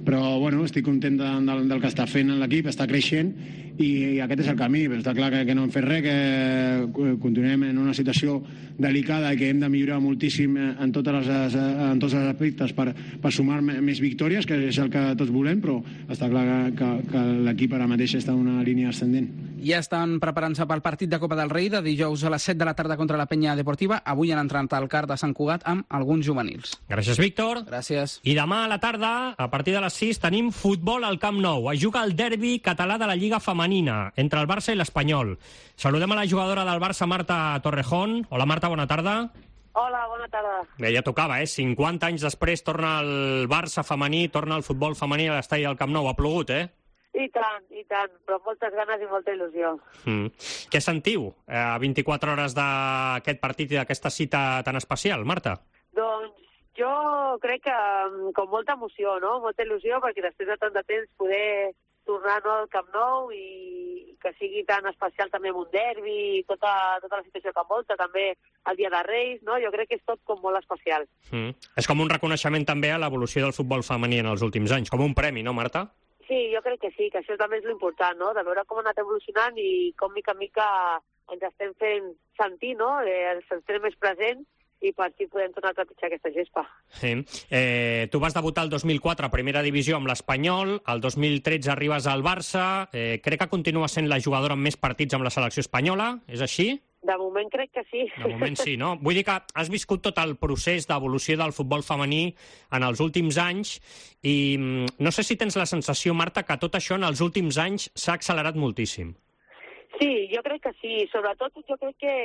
Però bueno, estic content de, del, del que està fent l'equip, està creixent i, i aquest és el camí. Però està clar que, que no hem fet res, que continuem en una situació delicada i que hem de millorar moltíssim en, totes les, en tots els aspectes per, per sumar més victòries, que és el que tots volem, però està clar que, que, que l'equip ara mateix està en una línia ascendent. Ja estan preparant-se pel partit de Copa del Rei de dijous a les set de la tarda contra la Penya Deportiva. Avui han entrat al CAR de Sant Cugat amb alguns juvenils. Gràcies, Víctor. Gràcies. I demà a la tarda, a partir de les sis, tenim futbol al Camp Nou. Es juga el derbi català de la Lliga Femenina entre el Barça i l'Espanyol. Saludem a la jugadora del Barça, Marta Torrejón. Hola, Marta, bona tarda. Hola, bona tarda. Bé, ja tocava, eh? cinquanta anys després torna el Barça femení, torna el futbol femení a l'estadi del Camp Nou. Ha plogut, eh? I tant, i tant, però moltes ganes i molta il·lusió. Mm. Què sentiu eh, a vint-i-quatre hores d'aquest partit i d'aquesta cita tan especial, Marta? Doncs jo crec que com molta emoció, no? Molta il·lusió, perquè després de tant de temps poder tornar no, al Camp Nou i que sigui tan especial també amb un derbi i tota, tota la situació que envolta, també el Dia de Reis, no? Jo crec que és tot com molt especial. Mm. És com un reconeixement també a l'evolució del futbol femení en els últims anys, com un premi, no, Marta? Sí, jo crec que sí, que això també és l'important, no? De veure com ha anat evolucionant i com mica en mica ens estem fent sentir, no? Eh, ens estem més presents i per si podem tornar a trepitjar aquesta gespa. Sí. Eh, tu vas debutar el dos mil quatre a Primera Divisió amb l'Espanyol, el dos mil tretze arribes al Barça, eh, crec que continua sent la jugadora amb més partits amb la selecció espanyola, és així? De moment crec que sí. De moment sí, no? Vull dir que has viscut tot el procés d'evolució del futbol femení en els últims anys i no sé si tens la sensació, Marta, que tot això en els últims anys s'ha accelerat moltíssim. Sí, jo crec que sí. Sobretot jo crec que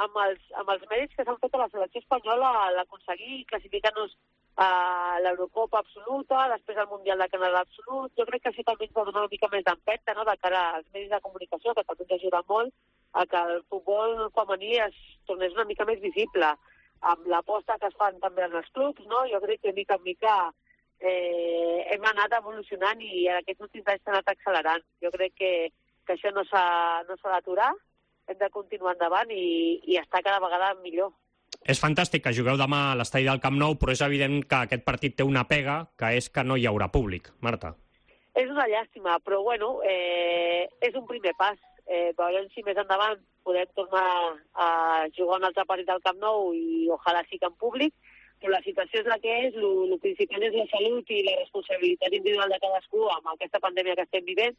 amb els, amb els mèrits que s'han fet a la selecció espanyola l'aconseguir classificar-nos a l'Eurocopa absoluta, després al Mundial de Canadà absolut, jo crec que això també ens va donar una mica més d'empenta, no?, de cara als medis de comunicació, que també ens ajuda molt a que el futbol femení es tornés una mica més visible. Amb l'aposta que es fan també en els clubs, no?, jo crec que mica en mica eh, hem anat evolucionant i en aquests últims anys s'ha anat accelerant. Jo crec que, que això no s'ha no s'ha d'aturar, hem de continuar endavant i, i estar cada vegada millor. És fantàstic que jugueu demà a l'estadi del Camp Nou, però és evident que aquest partit té una pega, que és que no hi haurà públic. Marta. És una llàstima, però bueno, eh, és un primer pas. Eh, veurem si més endavant podem tornar a jugar un altre partit al Camp Nou i ojalà sí que en públic, però la situació és la que és, el principal és la salut i la responsabilitat individual de cadascú amb aquesta pandèmia que estem vivint,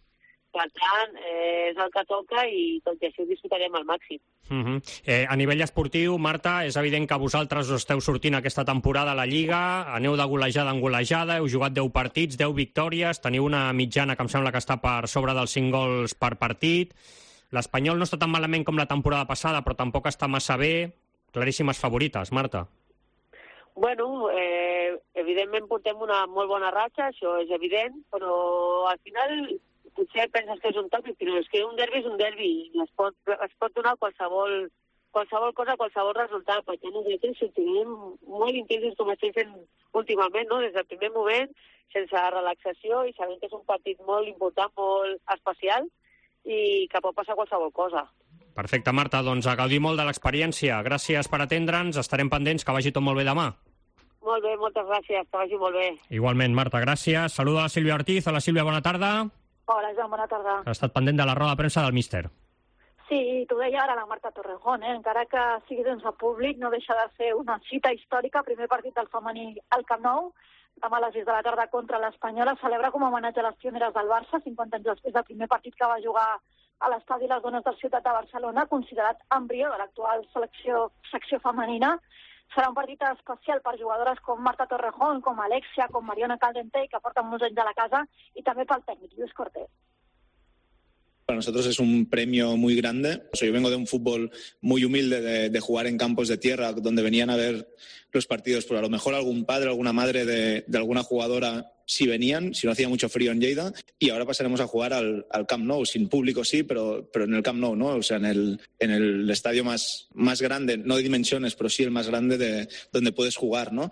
Per tant, eh, és el que toca i tot i així ho disfrutarem al màxim. Uh -huh. eh, a nivell esportiu, Marta, és evident que vosaltres esteu sortint aquesta temporada a la Lliga, aneu de golejada en golejada, heu jugat deu partits, deu victòries, teniu una mitjana que em sembla que està per sobre dels cinc gols per partit. L'Espanyol no està tan malament com la temporada passada, però tampoc està massa bé. Claríssimes favorites, Marta. Bueno, eh, evidentment portem una molt bona ratxa, això és evident, però al final potser penses que és un tòpic, però és que un derbi és un derbi i es pot, es pot donar qualsevol, qualsevol cosa, qualsevol resultat. Per tant, nosaltres sortirem molt intensos com estem fent últimament, no? Des del primer moment, sense relaxació i sabent que és un partit molt important, molt especial i que pot passar qualsevol cosa. Perfecte, Marta, doncs a gaudir molt de l'experiència. Gràcies per atendre'ns, estarem pendents, que vagi tot molt bé demà. Molt bé, moltes gràcies, que vagi molt bé. Igualment, Marta, gràcies. Saluda a la Sílvia Ortiz. Hola, Sílvia, bona tarda. Hola, Joan, bona tarda. Ha estat pendent de la roda de premsa del míster. Sí, t'ho deia ara la Marta Torrejón, eh? Encara que sigui sense públic, no deixa de ser una cita històrica, primer partit del femení al Camp Nou, demà a les sis de la tarda contra l'Espanyola, celebra com a homenatge a les pioneres del Barça, cinquanta anys després del primer partit que va jugar a l'estadi Les Dones del Ciutat de Barcelona, considerat embrió de l'actual selecció secció femenina. Serà un partit especial per jugadores com Marta Torrejón, com Alexia, com Mariona Caldentey, que porten molts anys a la casa, y también para el técnico, Lluís Cortés. Para nosotros es un premio muy grande. O sea, yo vengo de un fútbol muy humilde, de, de jugar en campos de tierra, donde venían a ver los partidos, pero a lo mejor algún padre, alguna madre de, de alguna jugadora sí venían, si no hacía mucho frío en Lleida, y ahora pasaremos a jugar al, al Camp Nou, sin público sí, pero, pero en el Camp Nou, ¿no? O sea, en el, en el estadio más, más grande, no de dimensiones, pero sí el más grande de donde puedes jugar, ¿no?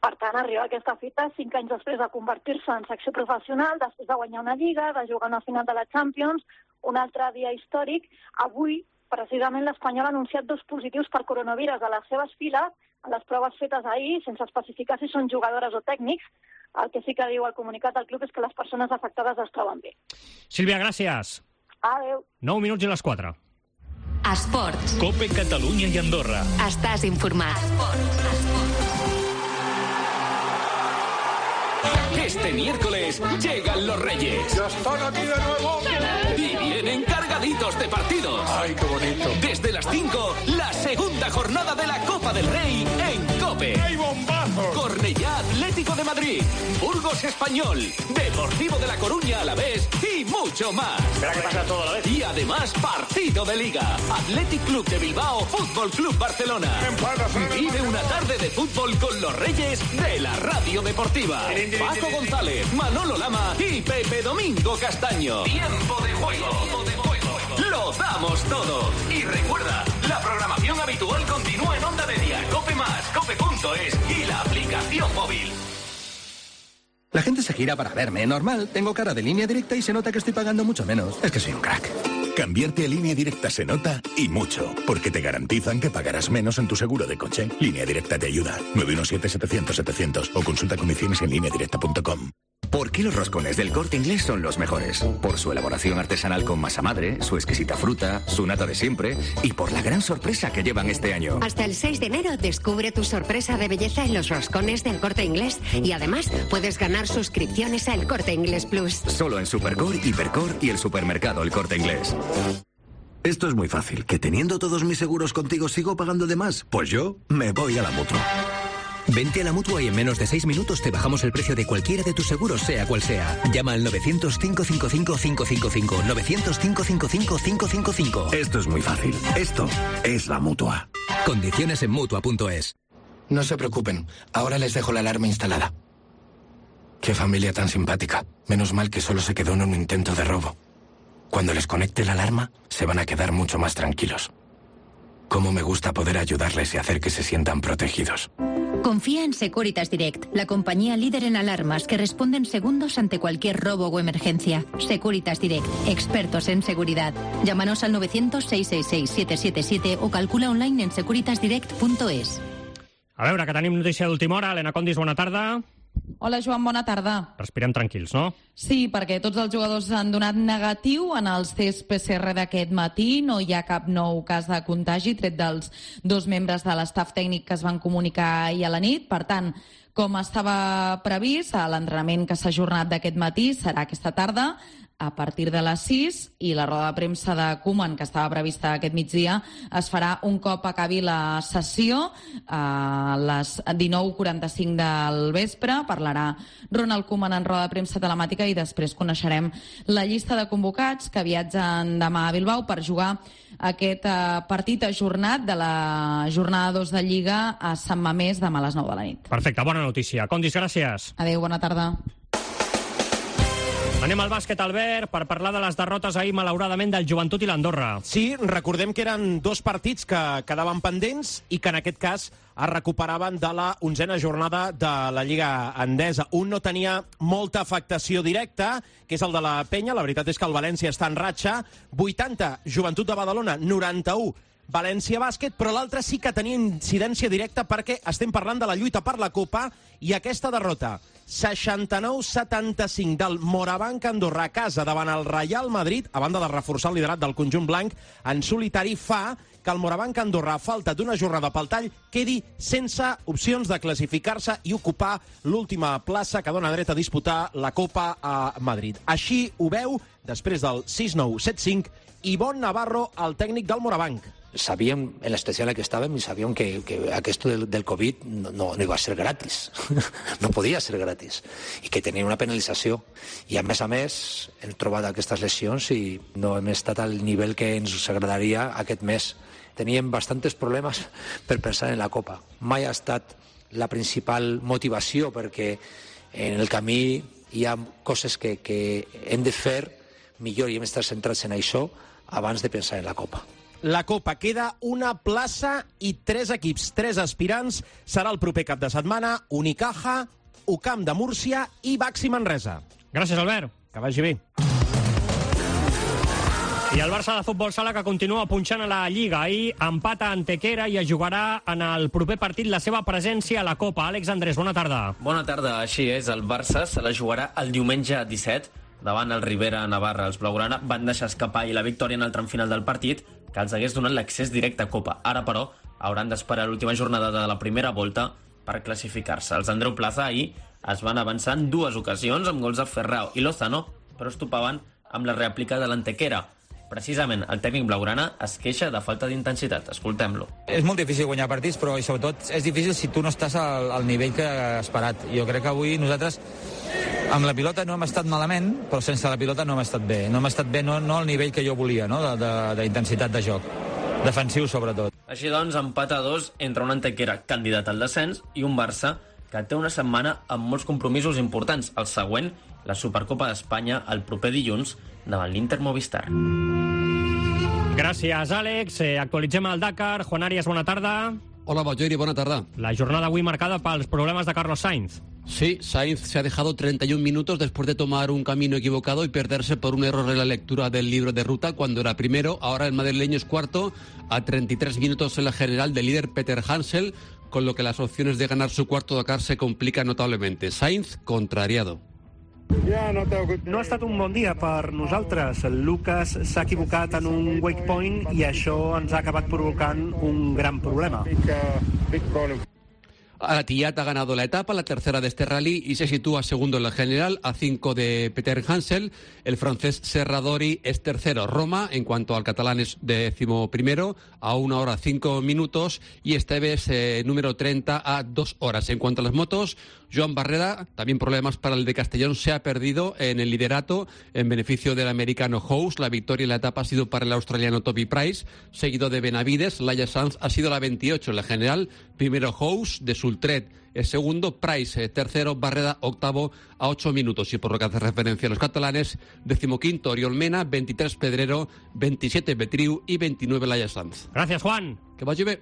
Per tant, arriba a aquesta fita cinc anys després de convertir-se en secció professional, després de guanyar una Lliga, de jugar una final de la Champions, un altre dia històric. Avui, precisament, l'Espanyol ha anunciat dos positius per coronavirus a les seves files, en les proves fetes ahir, sense especificar si són jugadores o tècnics. El que sí que diu el comunicat del club és que les persones afectades es troben bé. Sílvia, gràcies. Adéu. nou minuts i les quatre. Esports. Cope Catalunya i Andorra. Estàs informat. Esports. Esports. Este miércoles llegan los Reyes. ¡Ya están aquí de nuevo! Y vienen cargaditos de partidos. ¡Ay, qué bonito! Desde las cinco, la segunda jornada de la Copa del Rey en COPE. ¡Hay bombazos! Cornellá Atlético de Madrid, Burgos Español, Deportivo de La Coruña a la vez y mucho más. Espera que pasa todo a la vez. Y además partido de Liga. Athletic Club de Bilbao, Fútbol Club Barcelona. Vive una tarde de fútbol con los Reyes de la Radio Deportiva. Paco González, Manolo Lama y Pepe Domingo Castaño. Tiempo de juego. Tiempo de juego. Lo damos todo. Y recuerda, la programación habitual continúa en Onda Media, Cope Más, Cope punto es y la aplicación móvil. La gente se gira para verme. Normal, tengo cara de Línea Directa y se nota que estoy pagando mucho menos. Es que soy un crack. Cambiarte a Línea Directa se nota y mucho, porque te garantizan que pagarás menos en tu seguro de coche. Línea Directa te ayuda. nueve uno siete, setecientos, setecientos o consulta condiciones en línea directa punto com. ¿Por qué los roscones del Corte Inglés son los mejores? Por su elaboración artesanal con masa madre, su exquisita fruta, su nata de siempre y por la gran sorpresa que llevan este año. Hasta el seis de enero descubre tu sorpresa de belleza en los roscones del Corte Inglés y además puedes ganar suscripciones a El Corte Inglés Plus. Solo en Supercore, Hipercore y el supermercado El Corte Inglés. Esto es muy fácil. ¿Que teniendo todos mis seguros contigo sigo pagando de más? Pues yo me voy a la Mutua. Vente a la Mutua y en menos de seis minutos te bajamos el precio de cualquiera de tus seguros, sea cual sea. Llama al novecientos, cinco cinco cinco, cinco cinco cinco. novecientos, cinco cinco cinco, cinco cinco cinco. Esto es muy fácil. Esto es la Mutua. Condiciones en Mutua punto es. No se preocupen. Ahora les dejo la alarma instalada. Qué familia tan simpática. Menos mal que solo se quedó en un intento de robo. Cuando les conecte la alarma, se van a quedar mucho más tranquilos. Cómo me gusta poder ayudarles y hacer que se sientan protegidos. Confía en Securitas Direct, la compañía líder en alarmas que responden segundos ante cualquier robo o emergencia. Securitas Direct, expertos en seguridad. Llámanos al novecientos, seiscientos sesenta y seis, siete siete siete o calcula online en securitas direct punto es. A veure, que tenim notícia d'última hora. Helena Condis, bona tarda. Hola, Joan, bona tarda. Respirem tranquils, no? Sí, perquè tots els jugadors han donat negatiu en els tests P C R d'aquest matí. No hi ha cap nou cas de contagi, tret dels dos membres de l'estaf tècnic que es van comunicar ahir a la nit. Per tant, com estava previst, l'entrenament que s'ha ajornat d'aquest matí serà aquesta tarda. a partir de les sis, i la roda de premsa de Koeman, que estava prevista aquest migdia, es farà un cop acabi la sessió a les dinou quaranta-cinc del vespre. Parlarà Ronald Koeman en roda de premsa telemàtica i després coneixerem la llista de convocats que viatgen demà a Bilbao per jugar aquest eh, partit ajornat de la jornada dos de Lliga a Sant Mamés demà a les nou de la nit. Perfecte, bona notícia. Condis, gràcies. Adéu, bona tarda. Anem al bàsquet, Albert, per parlar de les derrotes ahir, malauradament, del Joventut i l'Andorra. Sí, recordem que eren dos partits que quedaven pendents i que en aquest cas es recuperaven de la onzena jornada de la Lliga Endesa. Un no tenia molta afectació directa, que és el de la Penya. La veritat és que el València està en ratxa. vuitanta, Joventut de Badalona, noranta-u, València Bàsquet, però l'altre sí que tenia incidència directa perquè estem parlant de la lluita per la Copa i aquesta derrota, seixanta-nou setanta-cinc del Morabanc Andorra a casa davant el Real Madrid, a banda de reforçar el liderat del conjunt blanc en solitari, fa que el Morabanc Andorra, a falta d'una jornada pel tall, quedi sense opcions de classificar-se i ocupar l'última plaça que dona dret a disputar la Copa a Madrid. Així ho veu, després del sis nou set cinc, Ivonne Navarro, el tècnic del Morabanc. Sabíem en la situació en la que estàvem i sabíem que, que aquest del, del Covid no, no, no iba a ser gratis, no podia ser gratis, i que tenia una penalització. I a més a més hem trobat aquestes lesions i no hem estat al nivell que ens agradaria aquest mes. Teníem bastants problemes per pensar en la Copa. Mai ha estat la principal motivació, perquè en el camí hi ha coses que, que hem de fer millor i hem d'estar centrats en això abans de pensar en la Copa. La Copa queda una plaça i tres equips, tres aspirants. Serà el proper cap de setmana Unicaja, U C A M de Múrcia i Baxi Manresa. Gràcies, Albert. Que vagi bé. I el Barça de futbol sala, que continua punxant a la Lliga. Ahir empata Antequera i es jugarà en el proper partit la seva presència a la Copa. Àlex Andrés, bona tarda. Bona tarda, així és. El Barça se la jugarà el diumenge disset davant el Rivera Navarra. Els blaugrana van deixar escapar i la victòria en el tram final del partit, que els hagués donat l'accés directe a Copa. Ara, però, hauran d'esperar l'última jornada de la primera volta per classificar-se. Els Andreu Plaza ahir es van avançar en dues ocasions amb gols de Ferrao i Lozano, però es topaven amb la rèplica de l'Antequera. Precisament, el tècnic blaugrana es queixa de falta d'intensitat. Escoltem-lo. És molt difícil guanyar partits, però sobretot és difícil si tu no estàs al, al nivell que has esperat. Jo crec que avui nosaltres amb la pilota no hem estat malament, però sense la pilota no hem estat bé. No hem estat bé, no, no al nivell que jo volia, no? d'intensitat de, de, de joc. Defensiu, sobretot. Així doncs, empat a dos entre un Antequera candidat al descens i un Barça que té una setmana amb molts compromisos importants. El següent, la Supercopa d'Espanya, el proper dilluns, davant l'Inter Movistar. Gràcies, Àlex. Eh, actualitzem el Dakar. Juan Arias, bona tarda. Hola, Bajori, buena tarde. La jornada avui marcada pels problemas de Carlos Sainz. Sí, Sainz se ha dejado treinta y un minutos después de tomar un camino equivocado y perderse por un error en la lectura del libro de ruta cuando era primero. Ahora el madrileño es cuarto a treinta y tres minutos en la general del líder Peter Hansel, con lo que las opciones de ganar su cuarto Dakar se complican notablemente. Sainz, contrariado. No ha estat un bon dia per nosaltres. Lucas s'ha equivocat en un wake point i això ens ha acabat provocant un gran problema. Alatiyat ha ganado la etapa, la tercera de este rally, y se sitúa segundo en la general, a cinco de Peter Hansel. El francés Serradori es tercero. Roma, en cuanto al catalán, es décimo primero, a una hora cinco minutos, y Esteves, eh, número treinta, a dos horas. En cuanto a las motos, Joan Barrera, también problemas para el de Castellón, se ha perdido en el liderato en beneficio del americano House. La victoria en la etapa ha sido para el australiano Toby Price, seguido de Benavides. Laia Sanz ha sido la veintiocho en la general. Primero House, de Sultret es segundo, Price eh, tercero, Barreda octavo a ocho minutos. Y por lo que hace referencia a los catalanes, decimoquinto Oriol Mena, veintitrés Pedrero, veintisiete Betriu y veintinueve Laia Sanz. Gràcies, Juan. Que vagi bé.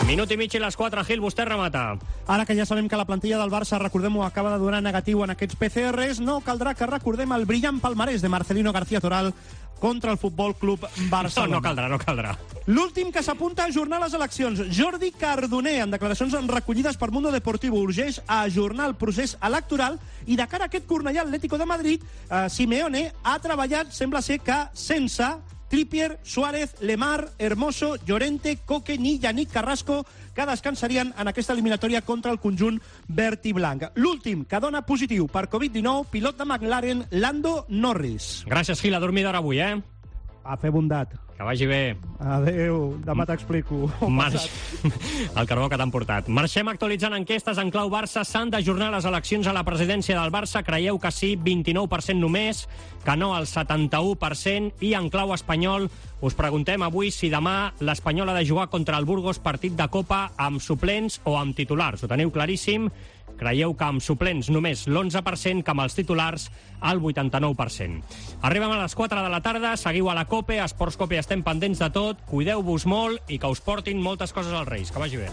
Minut i mig i les quatre, Gil, vostè remata. Ara que ja sabem que la plantilla del Barça, recordem-ho, acaba de donar negatiu en aquests P C Rs, no caldrà que recordem el brillant palmarès de Marcelino García Toral contra el Futbol Club Barcelona. No, no caldrà, no caldrà. L'últim que s'apunta a ajornar les eleccions. Jordi Cardoner, en declaracions recollides per Mundo Deportivo, urgeix a ajornar el procés electoral i de cara a aquest Cornellà Atlético de Madrid, eh, Simeone ha treballat, sembla ser que sense Trippier, Suárez, Lemar, Hermoso, Llorente, Coque ni Yannick Carrasco, que descansarien en aquesta eliminatòria contra el conjunt verd i blanc. L'últim que dona positiu per covid dinou, pilot de McLaren, Lando Norris. Gràcies, Gil, a dormir d'hora avui, eh? A fer bondat. Que vagi bé. Adéu, demà t'explico. Marx... El carbó que t'han portat. Marxem actualitzant enquestes en clau Barça. S'han d'ajornar les eleccions a la presidència del Barça. Creieu que sí, vint-i-nou per cent només, que no, el setanta-u per cent. I en clau espanyol us preguntem avui si demà l'Espanyol ha de jugar contra el Burgos partit de Copa amb suplents o amb titulars. Ho teniu claríssim? Creieu que amb suplents només l'onze per cent, que amb els titulars el vuitanta-nou per cent. Arribem a les quatre de la tarda, seguiu a la COPE, a Esports COPE estem pendents de tot, cuideu-vos molt i que us portin moltes coses als Reis. Que vagi bé.